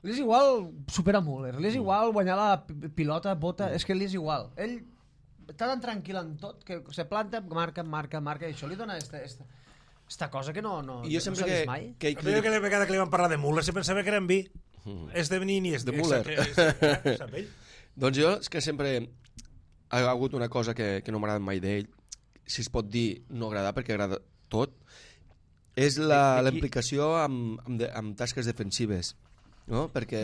Li és igual superar Müller, li és igual guanyar la pi- pilota, bota, és que li és igual. Ell està tan tranquil en tot que se planta, marca, marca, marca, i això li dona esta, esta, esta cosa que no, no, I jo no sempre s'ha que, vist mai. que, La primera que, vegada que li van parlar de Muller se pensava que era en vi. Mm. És de Benin i és De Müller. Sap ell? doncs jo és que sempre ha hagut una cosa que, que no m'agrada mai d'ell, si es pot dir no agradar perquè agrada tot, és la, la implicació amb, amb, de, amb tasques defensives, no? Perquè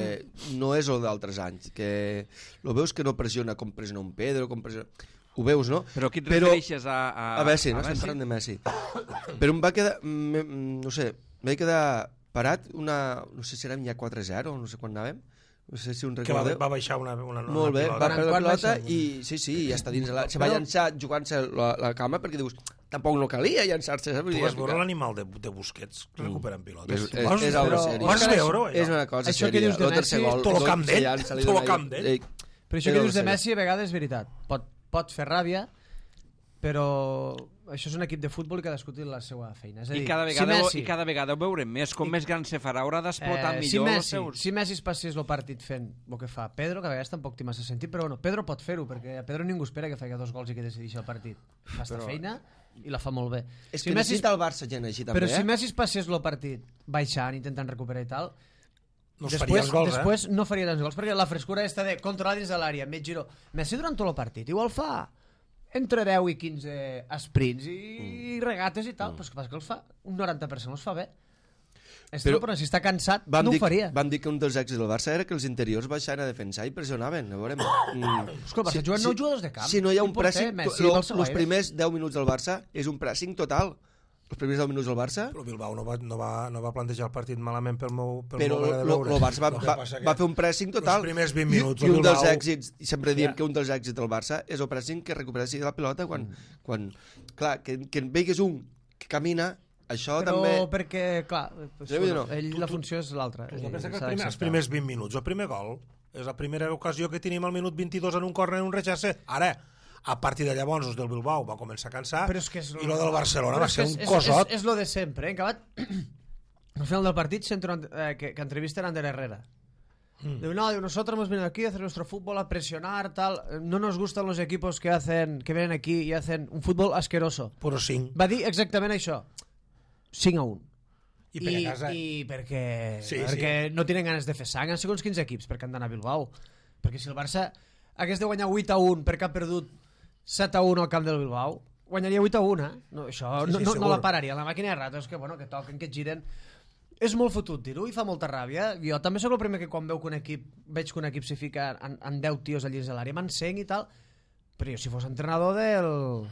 no és el d'altres anys, que lo veus que no pressiona com pressiona un Pedro, com pressiona... Ho veus, no? Però qui et Però, refereixes a... A, a Messi, no? a Estem Messi? parlant de Messi. Però em va quedar, me, no sé, em vaig quedar parat una, no sé si érem ja quatre zero, no sé quan anàvem, no sé si un Que va, recordeu. va baixar una, una, una Molt bé, pilota. va perdre la Quan pilota baixa? i sí, sí, ja està dins la... Se va llançar jugant-se la, la cama perquè dius, tampoc no calia llançar-se, saps? Vull Tu dir, vas veure l'animal de, de Busquets recuperant pilotes? És, és, Vas és algo veure- seriós. Vas veure-ho, És allò? una cosa Això que sèria. dius de Lo tercer Messi, gol, tot lo gol camp se d'ell, llança, li tot lo dona- camp d'ell. Ei, Però això és que algo dius de seriós. Messi a vegades és veritat. Pot, pot fer ràbia, però això és un equip de futbol i cadascú té la seva feina. És a dir, I cada vegada, si ho- Messi, i cada vegada ho veurem més, com més gran se farà, haurà d'explotar eh, si millor els Messi, seus... si Messi es passés el partit fent el que fa Pedro, que a vegades tampoc té massa sentit, però bueno, Pedro pot fer-ho, perquè a Pedro ningú espera que faci dos gols i que decideixi el partit. Fa esta Però- feina i la fa molt bé. És si que Messi, necessita el Barça gent així també, però eh? si Messi es passés el partit baixant, intentant recuperar i tal, No es faria després, els gols, eh? després no faria tants gols, perquè la frescura està de controlar dins de l'àrea, mig giro. Messi durant tot el partit igual fa entre deu i quinze sprints i mm. regates i tal, mm. però és que passa que els fa un noranta per cent els fa bé. Estil, però, però si està cansat Vam no dir, ho faria. vam dir que un dels èxits del Barça era que els interiors baixaven a defensar i pressionaven. A veure, mm, És que el Barça juguen nou jugadors de camp. Si no hi ha un Qui porter? pressing, Messi, lo, Barça, els Bayern. primers deu minuts del Barça és un pressing total. Els primers deu minuts del Barça, Però Bilbao no va, no, va, no va plantejar el partit malament pel meu, pel però meu manera de el veure. Barça va, El que va, passa que va fer un pressing total. Els primers vint I- minuts I, el un dels Bilbao- èxits, i sempre diem Ja. que un dels èxits del Barça és el pressing que recupera sí la pilota quan, quan clar, que, que en veigues un que camina, això Però també... perquè, clar, pues, Sí, vull dir, bueno, no. ell Tu- la tu- funció és l'altra. Tu has de eh, pensar que els s'ha primers, els d'acceptar. primers vint minuts, el primer gol, és la primera ocasió que tenim al minut vint-i-dos en un córner en un rechace. Ara, a partir de llavors, els del Bilbao va començar a cansar Però és que és i lo del Barcelona però va és ser que un és, cosot. És, és, és lo de sempre, eh? En acabat, al final del partit sento eh, que, que entrevisten a Ander Herrera. Mm. Diu, no, diu, nosotros hemos venido aquí a hacer nuestro fútbol, a presionar, tal. No nos gustan los equipos que hacen que vienen aquí y hacen un fútbol asqueroso. Però cinc. Va dir exactament això. cinc a un. I per a casa. I perquè, Sí, perquè no tenen ganes de fer sang. Han segons quins equips perquè han d'anar a Bilbao. Perquè si el Barça hagués de guanyar vuit a un perquè ha perdut set a un al camp del Bilbao, guanyaria vuit a un, eh? No, això Sí, no, sí, no, no segur. la pararia. La màquina de ratos, que, bueno, que toquen, que et giren. És molt fotut dir-ho i fa molta ràbia. Jo també sóc el primer que quan veu que un equip, veig que un equip s'hi fica en, en deu tios allí a l'àrea, m'encenc i tal, però jo si fos entrenador del...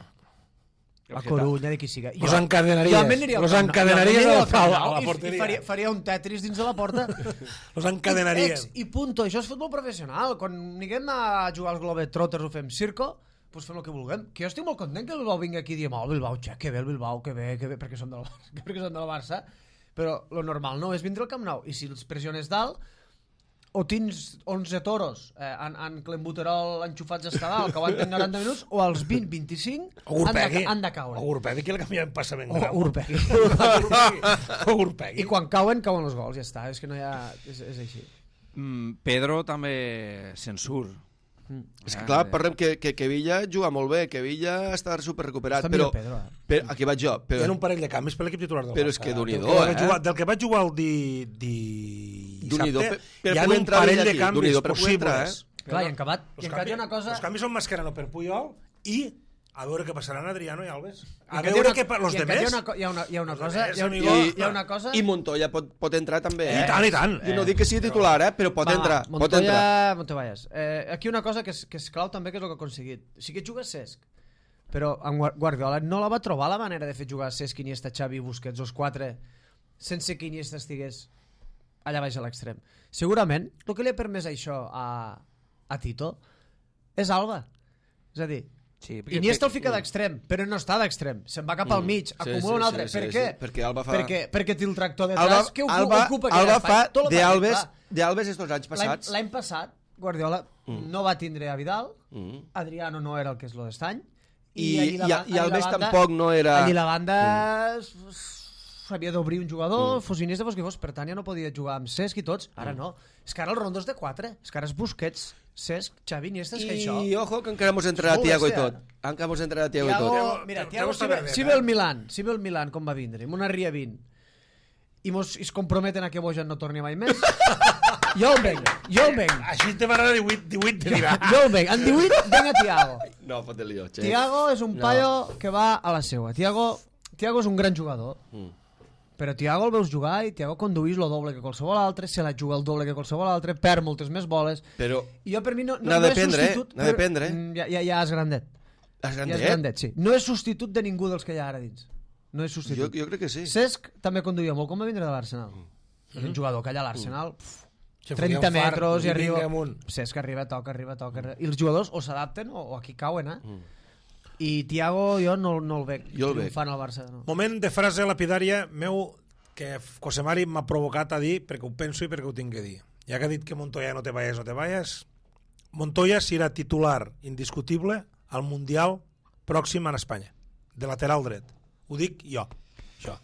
La Corunya, de qui siga. Los encadenaries. Jo almenys aniria al Los Camp Nou. encadenaries Jo almenys al aniria al pal, Camp Nou a la i- porteria. I faria, faria un Tetris dins de la porta. Los encadenaria. Ex, I punto. Això és futbol professional. Quan anirem a jugar als Globetrotters o fem circo, doncs fem el que vulguem. Que jo estic molt content que el Bilbao vingui aquí i diem, oh, Bilbao, xe, que bé el Bilbao, que bé, que bé, perquè són del Barça, perquè són del Barça. Però lo normal no és vindre al Camp Nou. I si els pressiones dalt, o tens onze toros eh, en, en clenbuterol enxufats a dalt que aguanten noranta minuts, o als vint vint-i-cinc O han, de, Urpegui. han de caure. O Urpegui, que el canviem passament O gran. Urpegui. O Urpegui. I quan cauen, cauen els gols, ja està. És que no hi ha... És, és així. Mm, Pedro també se'n surt. És que clar, parlem que, que, que Villa juga molt bé, que Villa està super recuperat, Està però, millor Pedro, eh? però aquí vaig jo, Hi però, ha un parell de canvis per l'equip titular del Però Barça. és que Déu-n'hi-do, Del que vaig eh? jugar- Del que vaig jugar el di, di... Déu-n'hi-do, dissabte, per- per hi ha poder un entrar parell ell de aquí, canvis Déu-n'hi-do, per poder entrar, possibles. Clar, i en acabat, Els i en acabat hi ha una canvis- cosa... Els canvis són Mascherano per Puyol i a veure què passaran Adriano i Alves. A I en veure acabat hi ha què... una- Los i en acabat demés... Hi ha una, co- hi ha una, hi ha una Los cosa... demés, Hi ha, amigo. hi, ha, hi ha una cosa... i Montoya pot, pot entrar també, I eh? tant, i tant. I no dic que sigui titular, eh? Però pot Va, entrar, va, pot entrar. Montoya, Montoyas. Eh, aquí una cosa que és, que és clau també, que és el que ha aconseguit. Sí que juga Cesc, però en Guar- Guardiola no la va trobar la manera de fer jugar Cesc, Iniesta, Xavi, Busquets, els quatre, sense que Iniesta estigués allà baix a l'extrem. Segurament, el que li ha permès això a, a Tito és Alba. És a dir, Sí, Iniesta el fica d'extrem, però no està d'extrem. Se'n va cap al mig, Sí, acumula sí, un altre. sí, per sí, què? sí, perquè Alba fa- Perquè, perquè té el tractor de Alba, que ocupa, Alba, ocupa Alba aquell fa espai. Tot el d'Albes partit, clar. d'Albes estos anys L'any passats. l'any passat, Guardiola mm. no va tindre a Vidal, Mm. Adriano no era el que és lo d'estany, I- allí la i- ba- i allí la Alves banda- tampoc no era- Allí la banda... Mm. s'havia d'obrir un jugador, mm. fos Iniesta, fos qui fos, per tant ja no podia jugar amb Cesc i tots, ara no. És que ara el Rondo és de quatre, és que ara és Busquets, Cesc, Xavi, Iniesta, és que això... I ojo que encara mos entrarà Thiago i tot. Encara mos entrarà Thiago i tot. Thiago, mira, Thiago, si, ve, si ve el Milan, si ve el Milan com va vindre, amb una ria vint, i mos es comprometen a que Bojan no torni mai més, jo el venc, jo el venc. Així te m'agrada divuit, divuit de dirà. Jo el venc, en divuit venga Thiago. No, fot el lío, Che. Thiago és un paio que va a la seua. Thiago, Thiago és un gran jugador. Mm. Però Thiago el veus jugar i Thiago conduís el doble que qualsevol altre, se la juga el doble que qualsevol altre, perd moltes més boles. Però I jo per mi no, no, n'ha no de és prendre, substitut... n'ha de prendre. Ja, ja, ja és grandet. És grandet? Ja és grandet, sí. No és substitut de ningú dels que hi ha ara dins. No és substitut. Jo, jo crec que sí. Cesc també conduïa molt, com va vindre de l'Arsenal. Mm. És un jugador que allà a l'Arsenal... Se trenta fotia un fart, metres i i arriba... vinga amunt. Cesc arriba, toca, arriba, toca... Arriba. I els jugadors o s'adapten o, o aquí cauen, eh? Mm. I Thiago jo no, no el veig jo el veig. triomfant al Barça. No. Moment de frase lapidària meu que José Mari m'ha provocat a dir perquè ho penso i perquè ho tinc que dir. Ja que ha dit que Montoya no te vayas, no te vayas, Montoya serà titular indiscutible al Mundial pròxim en Espanya, de lateral dret. Ho dic jo, això.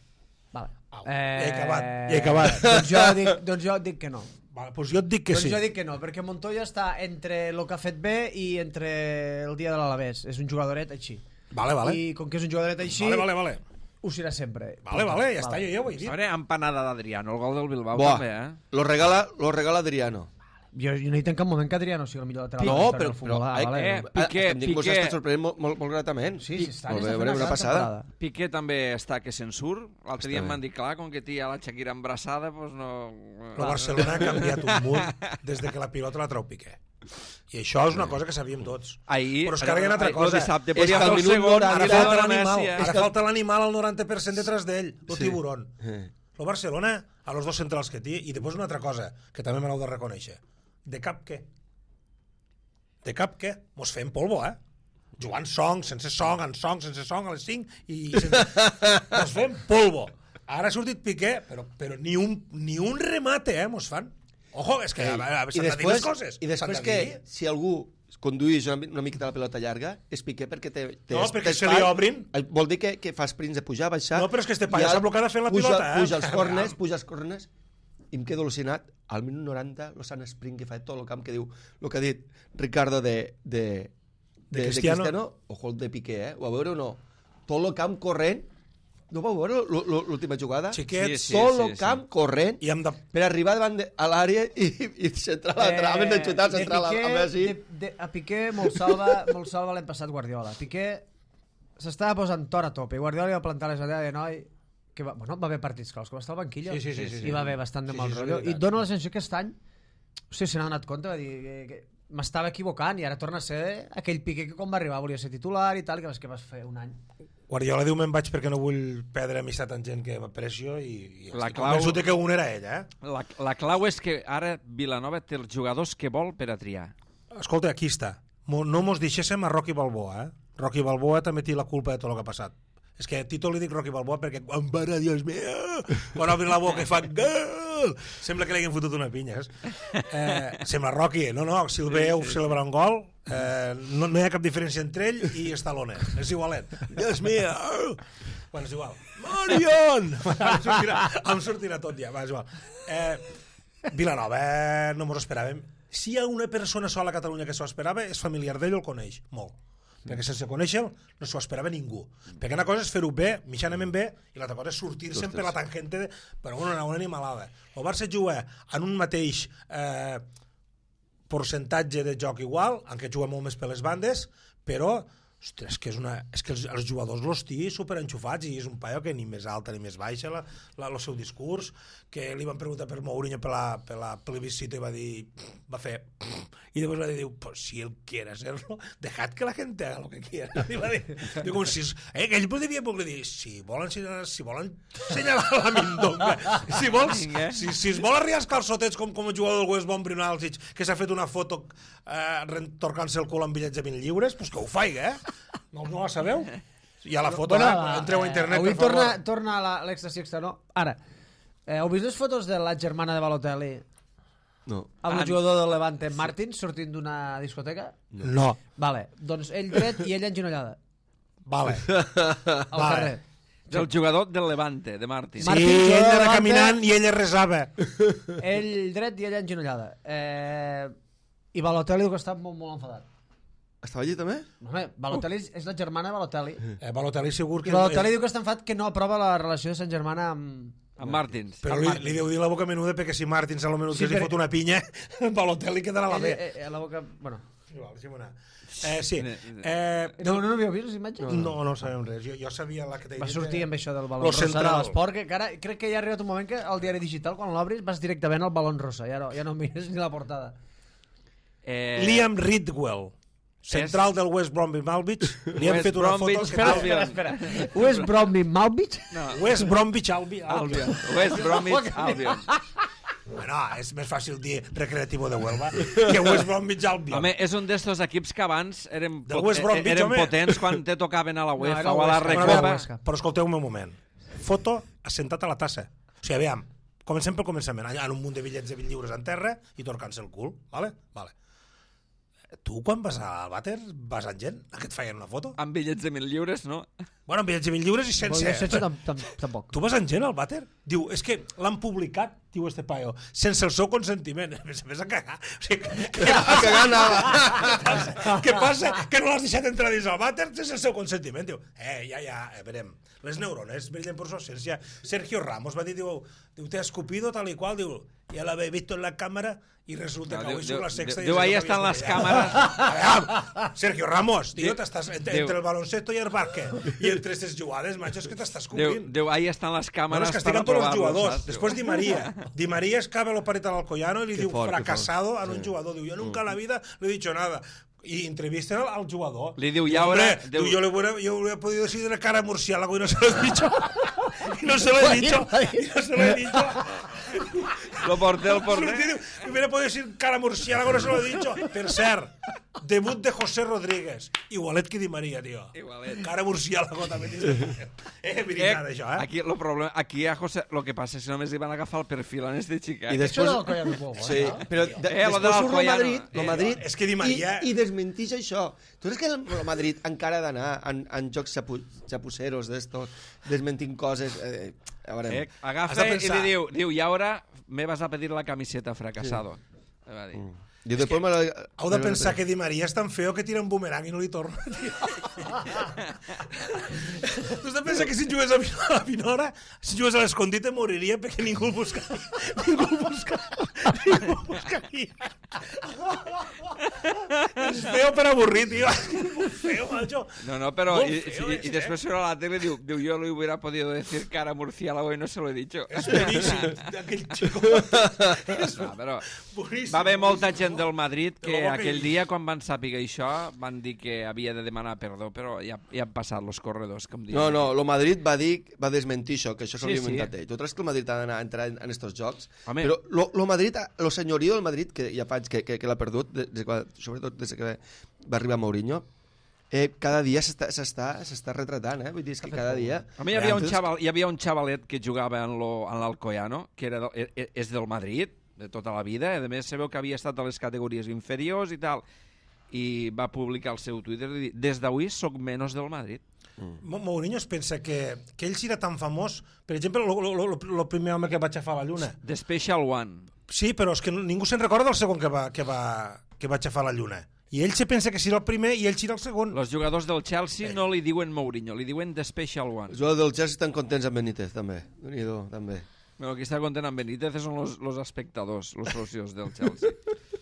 Vale. Au, eh... ja he acabat, ja he acabat. doncs, jo dic, doncs jo dic que no. Vale, doncs jo et dic que doncs sí. jo dic que no, perquè Montoya està entre el que ha fet bé i entre el dia de l'Alavés. És un jugadoret així. Vale, vale. I com que és un jugadoret així... Vale, vale, vale. Ho serà sempre. Vale, vale, ja està, jo ja ho he dit. A veure, empanada d'Adriano, el gol del Bilbao Buah, també, eh? Lo regala, lo regala Adriano. Jo, jo no he dit en cap moment que Adriano sigui el millor lateral No, de la història però, del futbol. però Ah, eh, vale. eh, Piqué, em dic, vos Piqué. està sorprenent molt, molt, molt gratament. Sí, sí, està, Molt bé, està fent una, una gran passada. temporada. Piqué també està que se'n surt. L'altre dia Està em bé. van dir, clar, com que té la Shakira embrassada, doncs no... El Barcelona ha canviat un munt des de que la pilota la treu Piqué. I això és una cosa que sabíem tots. Ahir, Però es carreguen altra ahir, cosa. el dissabte És podia que fer al el minut segon, noranta Ara i la falta dona l'animal, Messi, eh? ara falta l'animal al noranta per cent detrás d'ell, el Sí. tiburón. Eh. El Barcelona, a los dos centrals que té, i després una altra cosa, que també me l'heu de reconèixer. De cap què? De cap què? Mos fem polvo, eh? Jugant song, sense song, en song, sense song, a les cinc, i sense... mos fem polvo. Ara ha sortit Piqué, però, però ni, un, ni un remate, eh, mos fan. Ojo, és que Ei, a, a, i s'han de dir després, les coses. i després S'han de que dir. si algú conduís una, una miqueta la pelota llarga és Piqué perquè té, té No, perquè té se li espai. obrin. Vol dir que, que fa sprints de pujar, baixar. No, però és que este paio i s'ha blocat fent la puja, pilota, eh? Puja els corners, puja els corners, i em quedo al·lucinat. Al minut noranta, lo Sant Sprint que fa tot el camp que diu, el que ha dit Ricardo de, de, de, De de Cristiano. Cristiano, ojo el de Piqué, eh? Ho va veure o no? Tot el camp corrent. No vau veure lo- lo- l'última jugada? Xiquets, Sí, sí. Tot el camp corrent i hem de... per arribar davant de, a l'àrea i, i centrar la Eh, trama, de xutar, de centrar la, Piqué- a Messi. de, de, a Piqué molt salva, molt salva l'hem passat Guardiola. Piqué s'estava posant tor a tope. Guardiola li va plantar les idees de noi que va, bueno, va haver partits claus, que va estar al banquillo Sí, sí, sí, sí, sí. i va haver bastant de Sí, mal sí, sí, rotllo. és I veritat. dona la sensació que aquest any o sigui, se n'ha donat compte, va dir que, que m'estava equivocant i ara torna a ser aquell Piqué que quan va arribar volia ser titular i tal, que vas, que vas fer un any. Guardiola diu me'n vaig perquè no vull perdre amistat amb gent que m'aprecio i, i La estic clau- convençut que un era ell, eh? La, la clau és que ara Vilanova té els jugadors que vol per a triar. Escolta, aquí està. Mo- No mos deixéssim a Rocky Balboa, eh? Rocky Balboa també té la culpa de tot el que ha passat. És que a Tito li dic Rocky Balboa perquè quan para, Dios mío, quan obri la boca i fa gol, sembla que li hagin fotut una pinya. Eh, sembla Rocky, no, no, si el veieu celebrar un gol, eh, no, no hi ha cap diferència entre ell i Stallone, és igualet. Dios mío, bueno, és igual. Marion! em, sortirà, em sortirà tot ja, va, és igual. Eh, Vilanova, eh, no mos esperàvem. Si hi ha una persona sola a Catalunya que s'ho esperava, és familiar d'ell o el coneix, molt. Perquè sense conèixer-lo no s'ho esperava ningú. Perquè una cosa és fer-ho bé, mitjanament bé, i l'altra cosa és sortir-se'n per la tangente, de, però una, una animalada. El Barça juga en un mateix eh, percentatge de joc igual, encara juga molt més per les bandes, però ostres, que és, una, és que els, els jugadors los té superenxufats i és un paio que ni més alta ni més baixa la, la, el seu discurs, que li van preguntar per Mourinho per la, per la plebiscita i va dir, va fer i després va dir, diu, pues si él quiere hacerlo, dejad que la gente haga lo que quiera. I va dir, diu, com si, eh, que ell podria poder dir, si volen, si volen senyalar la mindonga, si vols, si, si es vol arribar als calçotets com, com el jugador del West Brom Brunalsic, que s'ha fet una foto eh, retorcant-se el cul amb bitllets de vint lliures, pues que ho faig, eh? No, no la sabeu? Hi ha la foto, Bueno, eh? Entreu a internet, avui per favor. torna, torna la- l'extasi extra, no? Ara, eh, heu vist les fotos de la germana de Balotelli No. amb Ah, el jugador del Levante, Martín, sortint d'una discoteca? No. Vale, doncs ell dret i ella enginollada Vale. al Vale. carrer. Del jugador del Levante, de Martín. Sí, Martín, ell jugador anava de caminant i ella resava. Ell dret i ella engenollada. Eh, I Balotelli diu que està molt, molt enfadat. Estava allí també? Home, Balotelli és la germana de Balotelli. Eh, Balotelli segur que... I Balotelli diu que està enfadat que no aprova la relació de Sant Germana amb... Amb Martins. Però li, li deu dir la boca menuda perquè si Martins a lo menut Sí, sí, li però- fot una pinya, Balotelli quedarà a la Ell, B. eh, eh, a la boca... Bueno. Igual, deixa'm anar. Eh, sí. Ne- Eh, No, no, no havíeu vist les imatges? no, no sabem res. Jo, jo sabia la que t'he Va dit. sortir amb això del balon Lo rosa de central. l'esport, que, que ara crec que ja ha arribat un moment que al diari digital, quan l'obris, vas directament al balon rosa, ja no, ja no mires ni la portada. Eh, Liam Ridwell, central del West Bromwich Albion. Li han West fet una Bromwich foto... Espera, Albion. espera, espera. West Bromwich Malvich? No, West Bromwich Albion. Albion. West Bromwich Albion. Bueno, és més fàcil dir Recreativo de Huelva que West Bromwich Albion. Home, és un d'estos equips que abans eren, Del pot, West Bromwich, eren home. potents quan te tocaven a la UEFA era o a la Huesca, Bueno, Recopa. aviam, Recopa. però escolteu-me un moment. Foto assentat a la tassa. O sigui, aviam, comencem pel començament. Allà en un munt de bitllets de vint lliures en terra i torcant-se el cul, vale? Vale. Tu, quan vas al vàter, vas amb gent a que et feien una foto? Amb bitllets de mil lliures, no? Bueno, amb bitllets de vint lliures i Sense. sense... sense tam, tam, tampoc. Tu vas amb gent al vàter? Diu, és que l'han publicat, diu este paio, sense el seu consentiment. A més a més a cagar. O sigui, què A cagar anava. passa? Què passa? Que no l'has deixat entrar dins el vàter sense el seu consentiment. Diu, eh, ja, ja, eh, verem. Les neurones brillen por su ausencia. Sergio Ramos va dir, diu, diu te ha escupido tal y cual, diu, ya la habéis visto en la cámara y resulta No, que diu- hoy sube la diu- sexta. diu, y ahí no están sabías las dónde cámaras. ya. Sergio Ramos, tío, Diu- t'estàs entre, diu- entre el baloncesto i el bàsquet. I entre aquestes jugades, macho, és que t'estàs Diu, cobrint. diu, ahí estan les Bueno, càmeres es per castigan todos los aprovar-los, jugadors. saps? Después Di María. Di María escava lo pareta al Alcoyano y le Qué diu fort, qué fracasado fort. a un Sí. jugador. Diu, yo nunca en la vida le he dicho nada. Y entrevisten al, al jugador. Li diu, Diu, ya ahora- hombre, diu- diu, yo, le hubiera, yo hubiera podido decir de cara a murciélago y no se lo he dicho. Y no se lo he dicho. Y no se lo he dicho. Lo porté, el porté. Diu, hubiera podido decir cara a murciélago, no se lo he dicho. Per cert, debut de José Rodríguez. Igualet que Di María, tío. Igualet. Cara a murciélago també. Eh, veritat, això, eh? Aquí, lo problema, aquí a José, lo que passa és que només li van agafar el perfil en este xica. I Això després... del Collano és molt bo, Sí, eh? però de, Eh, lo de després surt el l'Alcoyano. Madrid, el Eh, Madrid és que Di Maria- i, i desmentix això. Tu saps que el, el Madrid encara ha d'anar en, en jocs xapu, xapuceros d'estos, desmentint coses... Eh, a veure, Eh, Has agafa de i pensar. li diu, diu, y ahora me vas a pedir la camiseta fracasado. Sí. Va dir. I després me la... Heu de pensar que Di Maria és tan feo que tira un bumerang i no li torna, tio. Tu has de pensar que si jugués a Vino- a Vinora, si jugués a l'escondite moriria perquè ningú el buscaria. Ningú el buscaria. Ningú el buscaria. És feo per avorrir, tio. Molt feo, macho. No, no, pero Molt y, feo y- és, y después eh? sube a la tele y diu, diu, yo le hubiera podido decir cara murciélago y no se lo he dicho. És boníssim, aquell xico. És No, però boníssim. va haver molta boníssim. gent del Madrid De que la boca aquell i- dia, quan van saber això, van dir que havia de demanar perdó, però ja, ja han passat los corredors, com diuen. No, no, el Madrid va dir, va desmentir això, que això s'ho Sí, havia sí. inventat ell. Tu creus que el Madrid ha d'anar a entrar en, en estos jocs? Home. Però lo, lo Madrid, lo senyorio del Madrid, que ja faig que, que, que l'ha perdut, des, des, sobretot des que va arribar Mourinho, eh, cada dia s'està s'està s'està retratant, eh? Vull dir, és que cada dia... A mi hi havia, un Entonces, xaval, hi havia un xavalet que jugava en lo- en l'Alcoyano, que era, del- e- e- és del Madrid, de tota la vida, i a més sabeu que havia estat a les categories inferiors i tal, i va publicar al seu Twitter i dir, des d'avui soc menys del Madrid. Mo- Mourinho es pensa que, que ell serà tan famós, per exemple, el primer home que va aixafar la lluna. The Special One. Sí, però és que no- ningú se'n recorda del segon que va, que va, que va aixafar la lluna. I ell se pensa que serà el primer i ell serà el segon. Els jugadors del Chelsea no li diuen Mourinho, li diuen The Special One. Els jugadors del Chelsea estan contents amb Benítez, també. Déu-n'hi-do, també. Bueno, qui està content amb Benítez són los, los espectadors, los socios del Chelsea.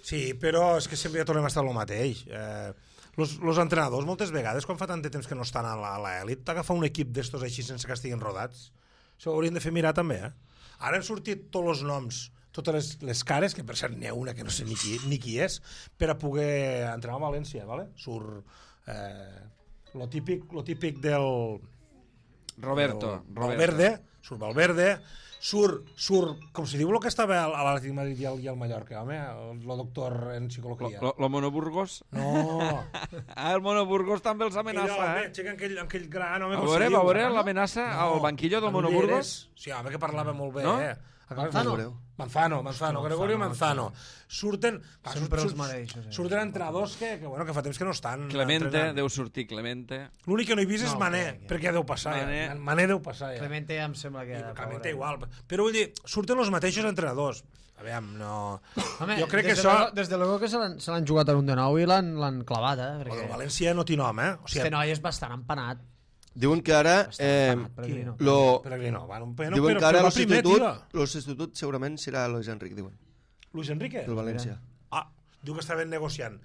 Sí, però és que sempre ja tornem a estar el mateix. Eh, los, los entrenadors, moltes vegades, quan fa tant de temps que no estan a la- a l'elit, t'agafa un equip d'estos així sense que estiguin rodats. Això ho haurien de fer mirar també, eh? Ara han sortit tots els noms, totes les, les cares, que per cert n'hi ha una que no sé ni qui, ni qui és, per a poder entrenar a València, ¿vale? Surt eh, lo, típic, lo típic del... Roberto, del Roberto. Valverde, surt Valverde, surt, surt, com si diu el que estava a l'Atlètic de Madrid i al, i al Mallorca, home, el, el doctor en Lo, psicologia. lo, lo Mono Burgos? No, Ah, el Mono Burgos també els aquell amenaça, home, eh? aixeca aquell, aquell gran home, A com veure, se va diu, veure no? l'amenaça al banquillo del en Mono Ulleres. Burgos? Sí, home, que parlava molt bé, No? eh? Manzano. Manzano, Manzano, Gregorio Manzano. Surten... Va, Sempre surt, els mateixos, eh? Surten entrenadors que, que, bueno, que fa temps que no estan Clemente, entrenant. deu sortir Clemente. L'únic que no he vist és No, Mané, crec que- perquè ja deu passar. Mané. Ja. Mané deu passar, ja. Clemente ja em sembla que... I ja, Clemente pobre. igual. Però vull dir, surten els mateixos entrenadors. Aviam, no... Home, jo crec que des de això... luego- Des de luego que se l'han se l'han jugat en un de nou i l'han l'han clavat, eh? El Perquè València no té nom, eh? O este sigui, noi és bastant empanat. Diuen que ara... Eh, empanat, Pellegrino. lo, Pellegrino, bueno, però, diuen però, que ara però el va primer, substitut, tio. el substitut segurament serà Luis Enrique, diuen, Luis Enrique? del València. Ah, diu que estaven negociant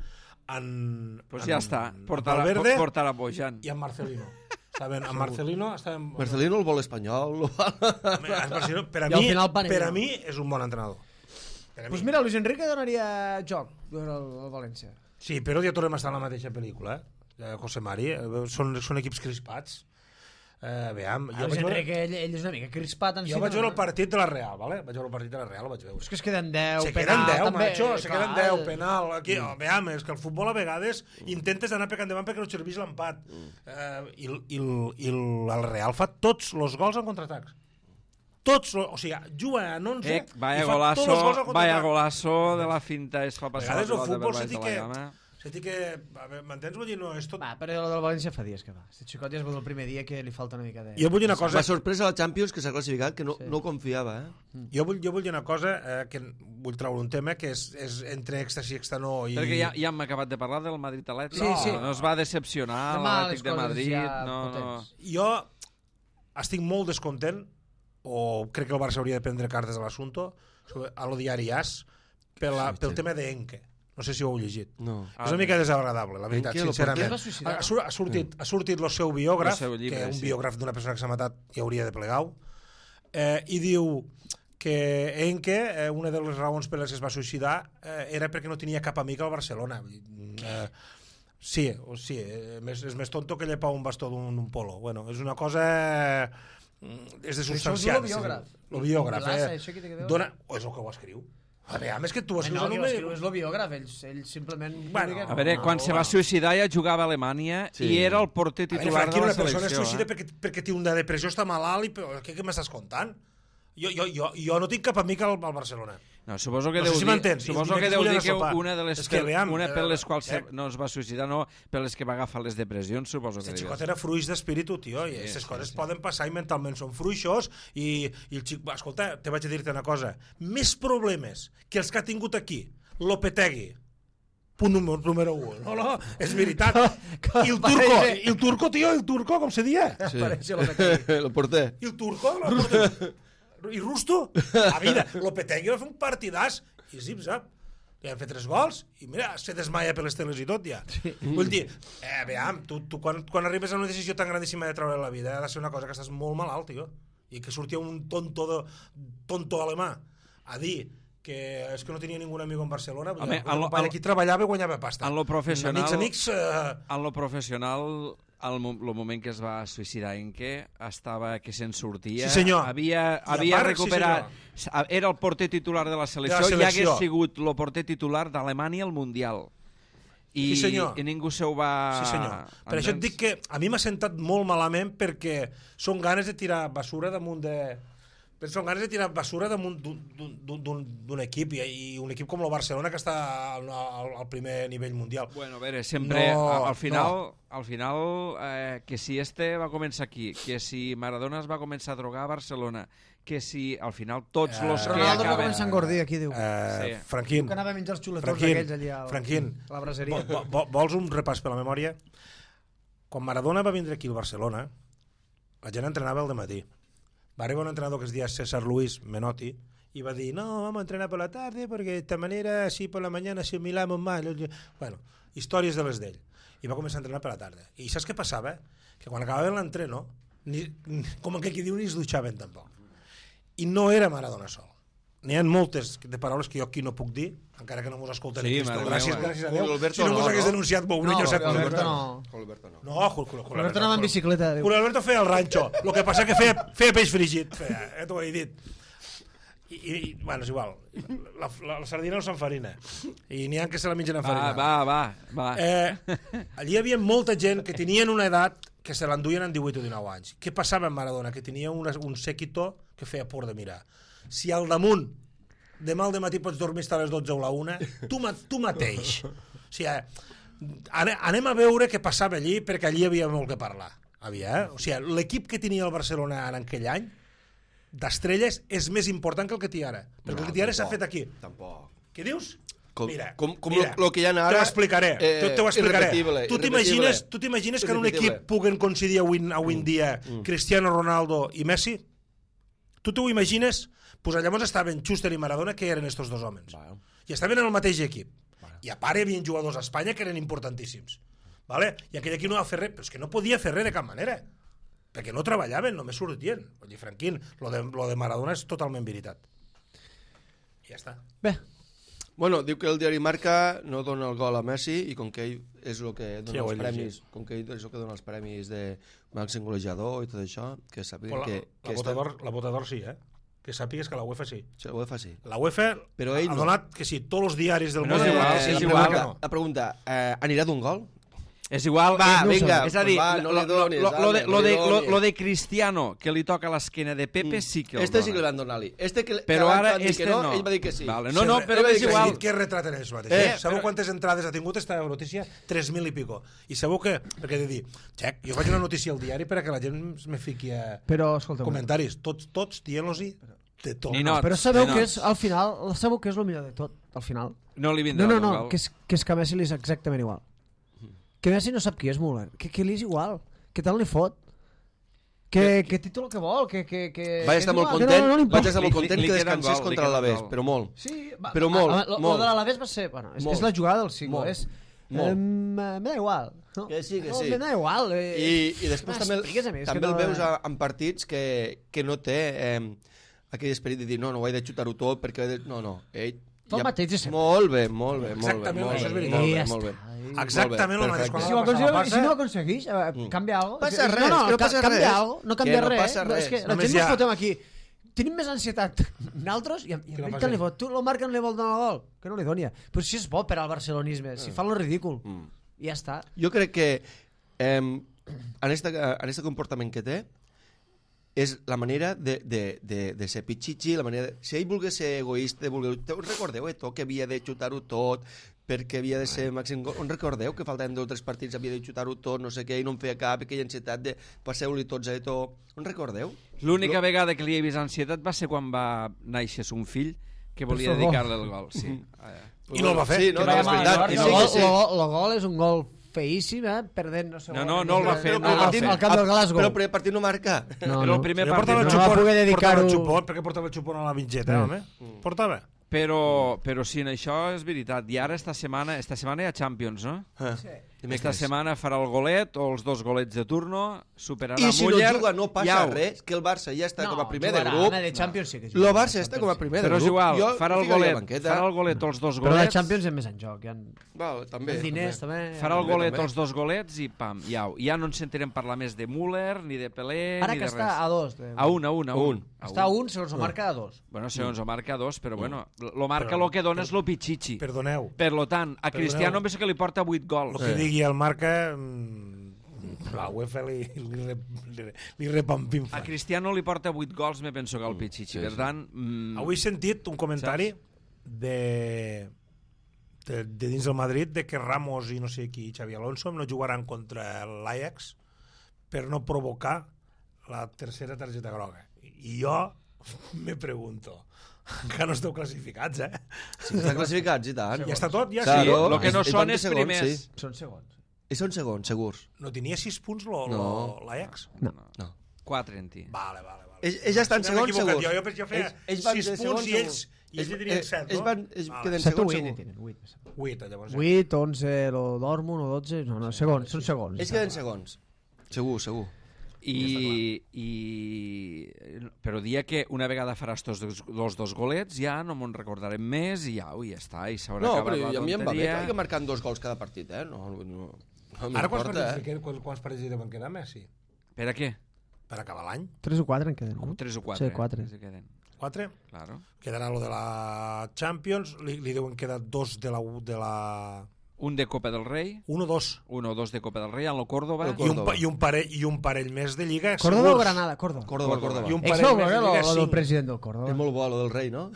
en... Pues en ja està, portarà, Valverde portarà Bojan. i en Marcelino. Estaven, en Marcelino estaven... Marcelino el vol espanyol. En Marcelino, per a I al mi, final Panenka. per a mi és un bon entrenador. Per a Doncs pues mi. mira, Luis Enrique donaria joc al, al València. Sí, però ja tornem a estar en la mateixa pel·lícula, eh? José Mari, eh, són, són equips crispats. Eh, veam, jo Luis vaig veure, Enrique, ell, ell és una mica crispat en jo si. vaig veure el partit de la Real, vale? Vaig veure el partit de la Real, el vaig veure. És que es queden deu, Se penal, queden deu, també. macho, se queden clar. deu, penal. Aquí, oh, veam, és que el futbol a vegades intentes anar per endavant perquè no serveix l'empat. Eh, I i, i el Real fa tots els gols en contraatacs. Tots, o sigui, juga en onze Eh, vaya i fa tots golazo, els gols en vaya contraatac. golazo de la finta, es fa A passar la vegades el pilota futbol per se baix té de que... la llama. Se té que... a veure, m'entens? Vull dir, no, és tot... Va, però el del València fa dies que va. Este xicot ja es veu el primer dia que li falta una mica de... Jo vull dir una cosa... La sorpresa a la Champions que s'ha classificat, que no, Sí. no confiava, eh? Jo vull, jo vull dir una cosa, eh, que vull treure un tema que és, és entre èxtasi i extanor i... Perquè ja, ja hem acabat de parlar del Madrid Atlètic. Sí, sí. No es va decepcionar Demà les l'Atlètic de coses Madrid. ja No, no. potents. Jo estic molt descontent, o crec que el Barça hauria de prendre cartes a l'assumpte, a lo diari As, per la, pel tema d'Enke. No sé si ho heu llegit. No. És una mica desagradable, la veritat, Enke, lo sincerament. porter? Es va suïcidar, Ha, sur- ha, sortit, ha sortit el seu biògraf, El seu llibre, que un sí. biògraf d'una persona que s'ha matat i hauria de plegar-ho, eh, i diu que Enke, eh, una de les raons per les que es va suïcidar, eh, era perquè no tenia cap amic al Barcelona. Eh, sí, o sí, eh, més, és més tonto que llepar un bastó d'un un polo. Bueno, és una cosa... eh, és de Això substanciat. és el biògraf. El biògraf, Vilaça, eh? això qui té que veure? Dona... O és el que ho escriu. A veure, és que tu ho Eh, escrius no, en qui un ho medi- escriu és el biògraf, ell, ell simplement... Bueno, publica- A veure, No, quan se va bueno. suïcidar ja jugava a Alemanya Sí. i era el porter A veure, titular Franqui, de la una persona es selecció. suïcida Eh? perquè, perquè té una depressió, està malalt i... però Què, què m'estàs contant? Jo, jo, jo, jo no tinc cap amic al, al Barcelona. No, suposo que No sé deu si dir, m'entens. suposo I que dimecres deu vull dir anar a que sopar. una de les És que, per, veam, una per les eh, quals eh. se- no es va suïcidar, no per les que va agafar les depressions, suposo que El dius. xicot era fruix d'espíritu, tio, i aquestes sí, coses sí. poden passar i mentalment són fruixos i, i el xic... Escolta, te vaig a dir-te una cosa. Més problemes que els que ha tingut aquí Lopetegui, punt número, número un. No, no, és veritat. I el turco, i el turco, tio, el turco, com se dia? Sí. Parece Lopetegui. El porter. I el turco, Lopetegui. I Rusto, a vida, Lopetegui va fer un partidàs i zip-zap. Li han fet tres gols i mira, se desmaia per les teles i tot ja. Sí. Vull dir, eh, veam, tu, tu quan, quan arribes a una decisió tan grandíssima de treure la vida ha de ser una cosa que estàs molt malalt, tio. I que sortia un tonto, de, tonto alemà a dir que és que no tenia ningú amic en Barcelona. Vull Home, dir, en lo- company, en lo- aquí treballava i guanyava pasta. en lo professional- Amics, amics... Eh, En lo professional, al mo el moment que es va suïcidar Enke, estava que se'n sortia. Sí, senyor. Havia, I a havia part, recuperat... sí, era el porter titular de la selecció, De la i selecció. hagués sigut el porter titular d'Alemanya al Mundial. I, Sí, senyor. I ningú se ho va... Sí, senyor. Per això et dic que a mi m'ha sentat molt malament perquè són ganes de tirar basura damunt de... Però són ganes de tirar basura damunt d'un- d'un d'un- d'un equip i, i un equip com el Barcelona que està al, al, al primer nivell mundial. Bueno, a veure, sempre, No, a- al final, no. al final eh, que si este va començar aquí, que si Maradona es va començar a drogar a Barcelona, que si al final tots Eh, els que Ronaldo va acaben... començar a engordir, aquí diu. Eh, Sí. Franquín, Que anava a menjar els xuletons Franquín, aquells allà al- Franquín, a la braseria. vo- vo- vols un repàs per la memòria? Quan Maradona va vindre aquí al Barcelona, la gent entrenava al dematí. Va arribar un entrenador que es deia César Luis Menotti y va a decir, no, vamos a entrenar por la tarde porque de esta manera, así por la mañana asimilamos más. Bueno, històries de les d'ell. I va començar a entrenar per la tarda. I saps què passava? Que quan acabaven l'entreno, ni, ni, com que qui diu, ni es dutxaven tampoc. I no era Maradona sol. N'hi ha moltes de paraules que jo aquí no puc dir, encara que no mos escolten Sí, Cristo. mare Gràcies, meva. gràcies a Déu. Julio Alberto Si no mos no, hagués no? denunciat, bo, un No, niño Julio sap Julio Alberto Alberto. no. Julio Alberto no. No, Julio, Julio, Julio Alberto anava en bicicleta, diu. Julio Alberto feia el ranxo, el que passa que feia, feia peix fregit, feia, eh, t'ho he dit. I, i, bueno, és igual, la, la, la sardina no s'enfarina, i n'hi ha que se la mengen Va, enfarinada. va, va, va. Eh, allí hi havia molta gent que tenien una edat que se l'enduien en divuit o dinou anys. Què passava amb Maradona? Que tenia una, un séquito que feia por de mirar. si al damunt demà al dematí pots dormir fins a les dotze o la una, tu, ma, tu mateix. O sigui, anem a veure què passava allí, perquè allí hi havia molt que parlar. Havia, eh? O sigui, l'equip que tenia el Barcelona en aquell any, d'estrelles, és més important que el que té ara. Perquè no, el que té ara s'ha fet aquí. Tampoc. Què dius? Com, mira, com, com mira, lo, lo que hi ha ara... Te ho explicaré, eh, te ho explicaré. Tu t'imagines tu t'imagines que en un equip puguen coincidir avui, avui en dia mm. Cristiano Ronaldo i Messi? Tu t'ho imagines? Pues llavors estaven Schuster i Maradona, que eren estos dos homes. Vale. I estaven en el mateix equip. Vale. I a part hi havia jugadors a Espanya que eren importantíssims. Vale? I aquell aquí no va fer res, però és que no podia fer res de cap manera. Perquè no treballaven, només sortien. Vull dir, Franquín, lo de, lo de Maradona és totalment veritat. I ja està. Bé. Bueno, diu que el diari Marca no dona el gol a Messi i com que ell és el que dona sí, els premis, com que ell és el que dona els premis de màxim golejador i tot això, que sàpiguen la, que... que la, botador, està... la botador sí, eh? Que sàpigues que la UEFA sí. Sí, la UEFA sí. La UEFA però ell ha no. donat que sí, tots els diaris del no món... És igual, eh, és la, igual. pregunta, la pregunta, eh, anirà d'un gol? És igual, va, eh, no vinga, és a dir, va, no lo, li donis, lo, lo, de, no lo, li de, lo, donis. lo de Cristiano, que li toca l'esquena de Pepe, sí que el este dona. sí que li van donar-li. Este que, però que ara este este no, no. Ell va dir que sí. Vale. No, no, però ell és igual. Què retraten ells mateix? Eh, Eh, sabeu però... quantes entrades ha tingut esta notícia? tres mil i pico. I sabeu què? Perquè he de dir, xec, jo faig una notícia al diari perquè la gent me fiqui a Però, escolta, comentaris. Tots, tots dient-los-hi de tot. Ni no. però sabeu Ni que no. és, al final, sabeu que és el millor de tot, al final. No li vindrà No, no, el no, gol. que és, que és que a Messi li és exactament igual. Que Messi no sap qui és Müller, que, que li és igual, que tant li fot. Que, que títol que vol, que... que, que vaig estar que molt igual, content, no, no, no vaig estar Li- molt content li que queda un descansés gol, li contra queda un l'Alavés, gol. però molt. Sí, va, Però molt, a, a, lo, molt. Lo de l'Alavés va ser... Bueno, és, Molt. és la jugada del siglo, Molt. és... Molt. Eh, me da igual. No? Que sí, que no, sí. Me da igual. Eh, I, i després també, m'expliques a mi, és també que el no- veus a, en partits que, que no té eh, aquell esperit de dir no, no ho he de xutar-ho tot perquè he de... no, no, ell Tot el mateix de sempre. molt bé, molt bé, molt bé, Exactament, molt això és bé, veritat. molt bé, Ja molt bé. està. Exactament el mateix. perfecte. Si ho, Quan aconsegueix, la passa- si no ho aconsegueix, eh, canvia alguna cosa. Passa res, no, no, que no ca- passa canvia res. algo, no Que canvia no res. passa No, és res. que la Només gent hi ens ha- fotem aquí. Tenim més ansietat nosaltres i, i Que no ell passa tant li res. fot. Tu lo marquen li vol donar el gol. Que no li doni. Però si és bo per al barcelonisme, si fa lo ridícul. I ja està. Jo crec que eh, en este, en este comportament que té és la manera de, de, de, de ser pitxitxi, la manera de, si ell volgués ser egoista, volgués, us recordeu eh, tot, que havia de xutar-ho tot perquè havia de ser màxim gol, on recordeu que faltaven dos o tres partits, havia de xutar-ho tot, no sé què, i no en feia cap, aquella ansietat de passeu-li tots a tot, on recordeu? L'única vegada que li he vist ansietat va ser quan va néixer son fill, que volia favor. dedicar-li el gol. Sí. I no el va fer. Sí, no, Que no, vaya és mal, veritat. no? I El sí, gol, que sí. lo- lo gol és un gol feíssim, eh? Perdent, no sé... No, no, no el va fer, Al- no el va al- fer. Al camp del Glasgow. Però el primer partit no marca. No, Era no. el primer Jo partit. portava el no xupon, va poder dedicar-ho- portava el xupon, perquè portava el xupon a la mitgeta, home. Portava. Però, però sí, en això és veritat. I ara esta setmana, esta setmana hi ha Champions, no? Ah, Esta setmana farà el golet o els dos golets de turno, superarà I si no Müller. juga no passa iau. res, que el Barça ja està No, com a primer jugarà, de grup. home, de Champions sí que El jugarà. Barça està com a primer de Però grup. és igual, Jo farà el ficaria a la golet, banqueta. farà el golet o els dos Però la golets. Champions és més en joc. Hi ha Val, també, els diners, també. també. Farà el També, golet també. els dos golets i pam, iau. Ja no ens sentirem parlar més de Müller, ni de Pelé, Ara ni que de està res. a dos. De... A un, a un, a un. Un. Està a un, segons ho marca a dos. Bueno, segons ho marca a dos, però bueno, lo marca Però- lo que dona és lo pitxitxi. Perdoneu. Per lo tant, a Perdoneu. Cristiano em penso que li porta vuit El gols. que digui el marca... mm, la UEFA li, li, li, li, li A repampinfa. Cristiano li porta vuit gols, me penso que al pitxitxi. sí, Per sí. tant... Mm, Avui he sentit un comentari de, de, de dins del Madrid de que Ramos i no sé qui, Xavi Alonso, no jugaran contra l'Ajax per no provocar la tercera targeta groga. I jo me pregunto, encara no esteu classificats, eh? Sí, està classificats, i tant. Ja està tot? Ja sí, Claro. lo que no I són van de és segons, primers. sí. Són segons. I són segons, segurs. No tenia sis punts lo, lo, No. l'Ajax? No. No. Quatre en ti. Vale, vale, vale. Ells, ells ja estan Si m'he segons, equivocat, segurs. Jo, jo, pensava que feia Ells- ells van sis de punts segons, i ells, segurs. i ells tenien set, no? Ells, van, ells Vale. queden set o segons, vuit, segurs. tenen, vuit. Vuit, llavors. vuit, onze, o Dortmund, o dotze... No, no, segons, són segons. Ells queden segons. Segur, segur. I, i però dia que una vegada faràs tots dos, dos, dos golets ja no me'n recordarem més i ja, ui, ja està, i s'haurà No, acabat però la a mi em va bé que tonteria. vagi marcant dos gols cada partit, eh? No, no, no Ara quants m'importa, partits, eh? li queden- quants, quants partits li deuen quedar, Messi? Per a què? Per acabar l'any? Tres o quatre en queden, no? Tres o quatre. Sí, quatre. eh, que queden. Quatre? Claro. Quedarà lo de la Champions, li, li deuen quedar dos de la, de la un de Copa del Rei, Un o dos. un o dos de Copa del Rei, en el Córdoba, El I un, Córdoba. pa- i, un parell, I un parell més de Lliga, Córdoba o segurs. Granada? Córdoba. Córdoba, Córdoba. I un Ex parell no, més de eh, Lliga, lo, lo del cinc. president del Córdoba. És molt bo, lo del rei, no?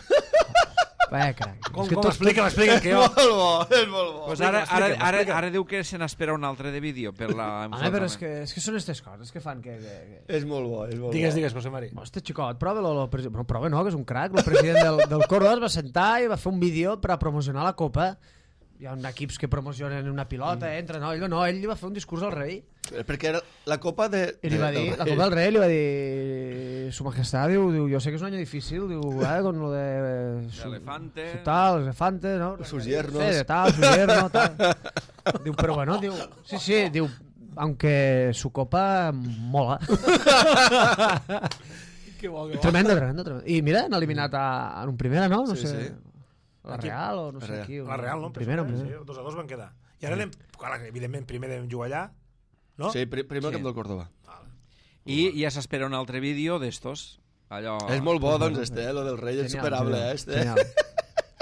Vaya crac. Com, És que com tot- explica, m'explica, que jo... molt bo, és molt bo. pues ara, ara, explica, ara, explica. ara diu que se n'espera un altre de vídeo per la Home, però és que, és que són aquestes coses que fan que... que, que... És molt bo, és molt Digues, bo. digues, José Mari. Hosti, xicot, prova-lo. Lo, presi- bueno, prova no, que és un crac. El president del, del Córdoba es va sentar i va fer un vídeo per a promocionar la Copa. Hi ha un equips que promocionen una pilota, mm. entra, no, ell no, ell li va fer un discurs al rei. Perquè era la copa de... I li va de- dir, del la rei. Copa del Rei li va dir, su majestad, diu, diu, yo sé que es un año difícil, diu, eh, con lo de... Su, Elefante. su tal, los elefantes, ¿no? Sus yernos. Sí, de tal, su yerno, tal. Diu, pero bueno, diu, sí, sí, diu, aunque su copa mola. Que bo, que bo. Tremendo, tremendo, tremendo. I mira, han eliminat a, en un primera, no? No Sí, sé. sí. La Aquí- Real o no sé Real. qui. La Real, no? Primera, Em penso, primera. Sí, dos a dos van quedar. I ara anem... Clar, evidentment, primer devem jugar allà, no? Sí, pri- primer Sí. camp del Córdoba. I ja s'espera un altre vídeo d'estos. Allò... És molt bo, doncs, este, eh? Lo del rei és Genial, superable, genial, eh? Este. genial.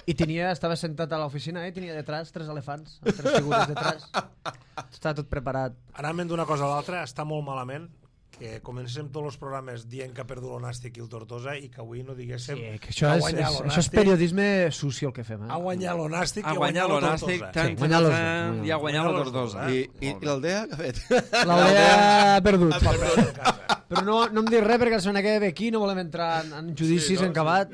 I tenia, estava sentat a l'oficina, eh? Tenia detrás tres elefants, amb tres figures detrás. Està tot preparat. Anant d'una cosa a l'altra, està molt malament que comencem tots els programes dient que ha perdut l'Onàstic i el Tortosa i que avui no diguéssim Sí, que això ha és, guanyat és, això és l'Onàstic, periodisme suci el que fem. Eh? ha guanyat l'Onàstic Ha i guanyat la l'Onàstic, Tortosa. tant, Sí, tant, guanyat los dos, tant, guanyat. i ha guanyat Guanyat la los dos, Tortosa. I, Molt i, bé. i l'Aldea, què ha fet? L'Aldea ha perdut. A casa. Però no, no em dic res perquè la setmana que ve aquí no volem entrar en, en judicis Sí, no, en acabat.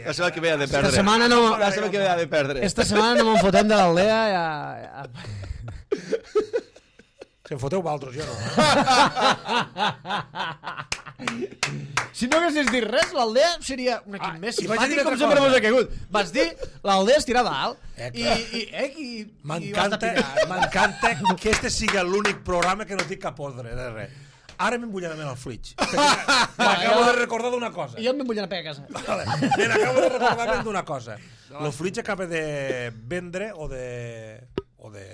La setmana que ve ha de Esta perdre. setmana no... La setmana que ve ha de perdre. Esta setmana no me'n fotem de l'Aldea. Ja, ja... Si em foteu valtros, jo no. Si no haguessis dit res, l'Aldea seria un equip Ah, més i vaig dir simpàtic com una sempre cosa. mos ha caigut. Vas dir, l'Aldea es tira dalt Eh, i, clar. i, eh, i, i vas M'encanta de picar. m'encanta que este sigui l'únic programa que no tinc cap ordre de res. Ara m'hem bullat amb el Flitch. M'acabo de recordar d'una cosa. I jo em vull anar a pegar a casa. Vale. Me n'acabo de recordar d'una cosa. El Flitch acaba de vendre o de, o de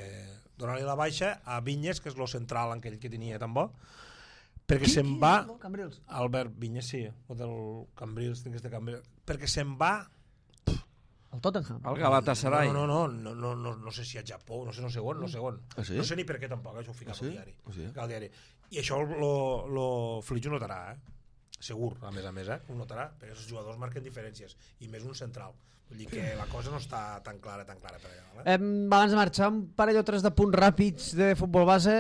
donar-li la baixa a Vinyes, que és lo central en aquell que tenia tan bo, perquè se'n va... Cambrils. Albert Vinyes, sí, o del Cambrils, tinc este Cambrils, perquè se'n va... El Tottenham. El Galatasaray. No, no, no, no, no, no sé si a Japó, no sé, no sé on, no sé on. Ah, sí? No sé ni per què tampoc, això ho ficava Ah, sí? al diari. Ah, sí? Ficava al diari. I això lo, lo Flitch ho notarà, eh? Segur, a més a més, eh? Ho notarà, perquè els jugadors marquen diferències, i més un central. Vull dir que la cosa no està tan clara, tan clara per allà. Eh? Em, abans de marxar, un parell o tres de punts ràpids de futbol base.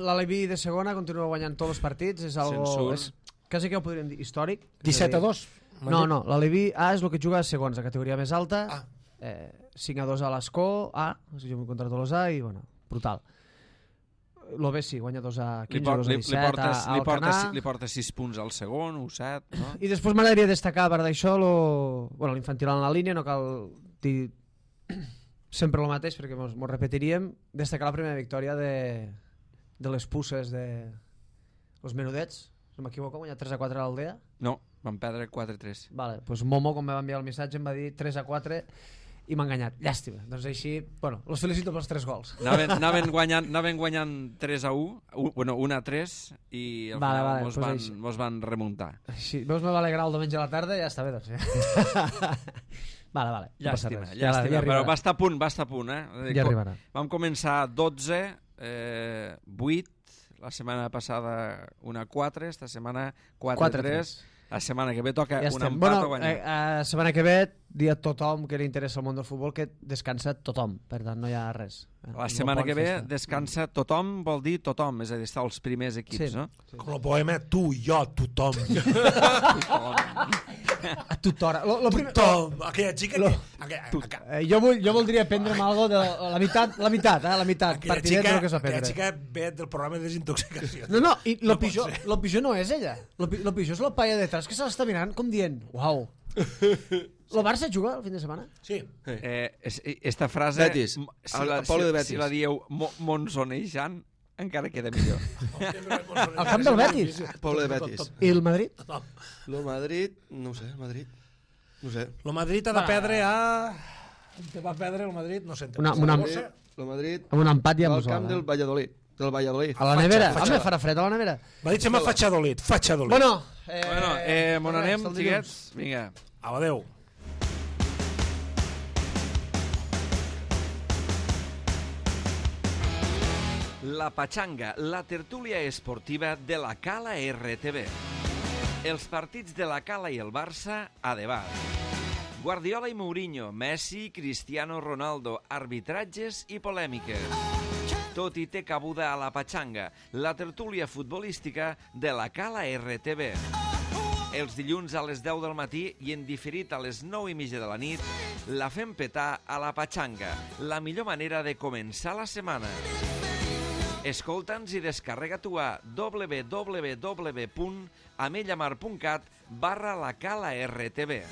L'Aleví de segona continua guanyant tots els partits. És algo... Censur. És, quasi que ho podríem dir històric. disset a dos? No, no, l'Aleví A és el que juga a segons, a categoria més alta. Ah. Eh, cinc a dos a l'Escó, A, o sigui, jo m'he encontrat los A i, bueno, brutal. Lo B sí, guanya dos a Li, quinze, por, dos a li, li, disset portes, a, a li, portes, Alcanar. li portes sis punts al segon, u set, no? I després m'agradaria destacar, a part d'això, lo... bueno, l'infantil en la línia, no cal dir sempre el mateix perquè mos, mos repetiríem, destacar la primera victòria de, de les pusses de los menudets, no m'equivoco, guanyat tres a quatre a l'Aldea. No, van perdre quatre a tres. Vale, pues Momo, quan me va enviar el missatge, em va dir tres a quatre i m'ha enganyat. Llàstima. Doncs així, bueno, els felicito pels tres gols. Anaven, anaven, guanyant, anaven guanyant tres a u, u bueno, un a tres, i al Vale, final vale, mos, pues van, així. mos van remuntar. Així, veus, me va alegrar el diumenge a la tarda i ja està bé, doncs. vale, vale. No passa Llàstima, res. llàstima, ja, ja però arribarà. va estar a punt, va estar a punt, eh? Ja arribarà. Vam començar dotze, eh, vuit, la setmana passada una quatre, esta setmana quatre a tres, la setmana que ve toca Ja un estem. empat Bueno, o guanyar. eh, la setmana que ve, dir a tothom que li interessa el món del futbol que descansa tothom, per tant no hi ha res. La setmana que ve descansa tothom, vol dir tothom, és a dir, estar els primers equips, Sí. no? Com el poema, tu, jo, tothom. A tothora. Lo, lo primer, Tothom. Aquella xica Lo- que... Aquella, aquella, eh, jo, vull, jo voldria prendre'm algo de la meitat, la meitat, eh, la meitat, aquella partidet xica, del que s'ha aquella prendre. xica ve del programa de desintoxicació. No, no, i lo No pot pitjor, ser. lo pitjor no és ella. Lo, pi- lo pitjor és la paia detrás que se l'està mirant com dient, uau. Lo Barça juga el fin de setmana? Sí. Eh, es, esta frase, Betis. m- si El- la, el Polo si, de Betis. si la dieu mo, monsonejant, encara queda millor. Al camp del Betis? Poble de Betis. I el Madrid? Lo Madrid, no ho sé, Madrid. No ho sé. El Madrid ha de perdre a... Te va perdre el Madrid, no sé. Una- una- Saragossa. Lo Madrid Amb un empat ja al mos camp val, del eh? Valladolid. Del Valladolid. A la nevera? Fatxa- Home, farà fred a la nevera. Va dir Xema Fatxadolit, Fatxadolit. Bueno, eh, bueno, eh, mon res, anem, el dilluns. xiquets? Vinga. Au, adeu. La Patxanga, la tertúlia esportiva de la Cala R T V. Els partits de la Cala i el Barça a debat. Guardiola i Mourinho, Messi, Cristiano Ronaldo, arbitratges i polèmiques. Tot hi té cabuda a La Patxanga, la tertúlia futbolística de la Cala R T V. Els dilluns a les deu del matí i en diferit a les nou i mitja de la nit, la fem petar a La Patxanga, la millor manera de començar la setmana. Escolta'ns i descarrega-t'ho a w w w punt amellamar punt cat barra la Cala R T V.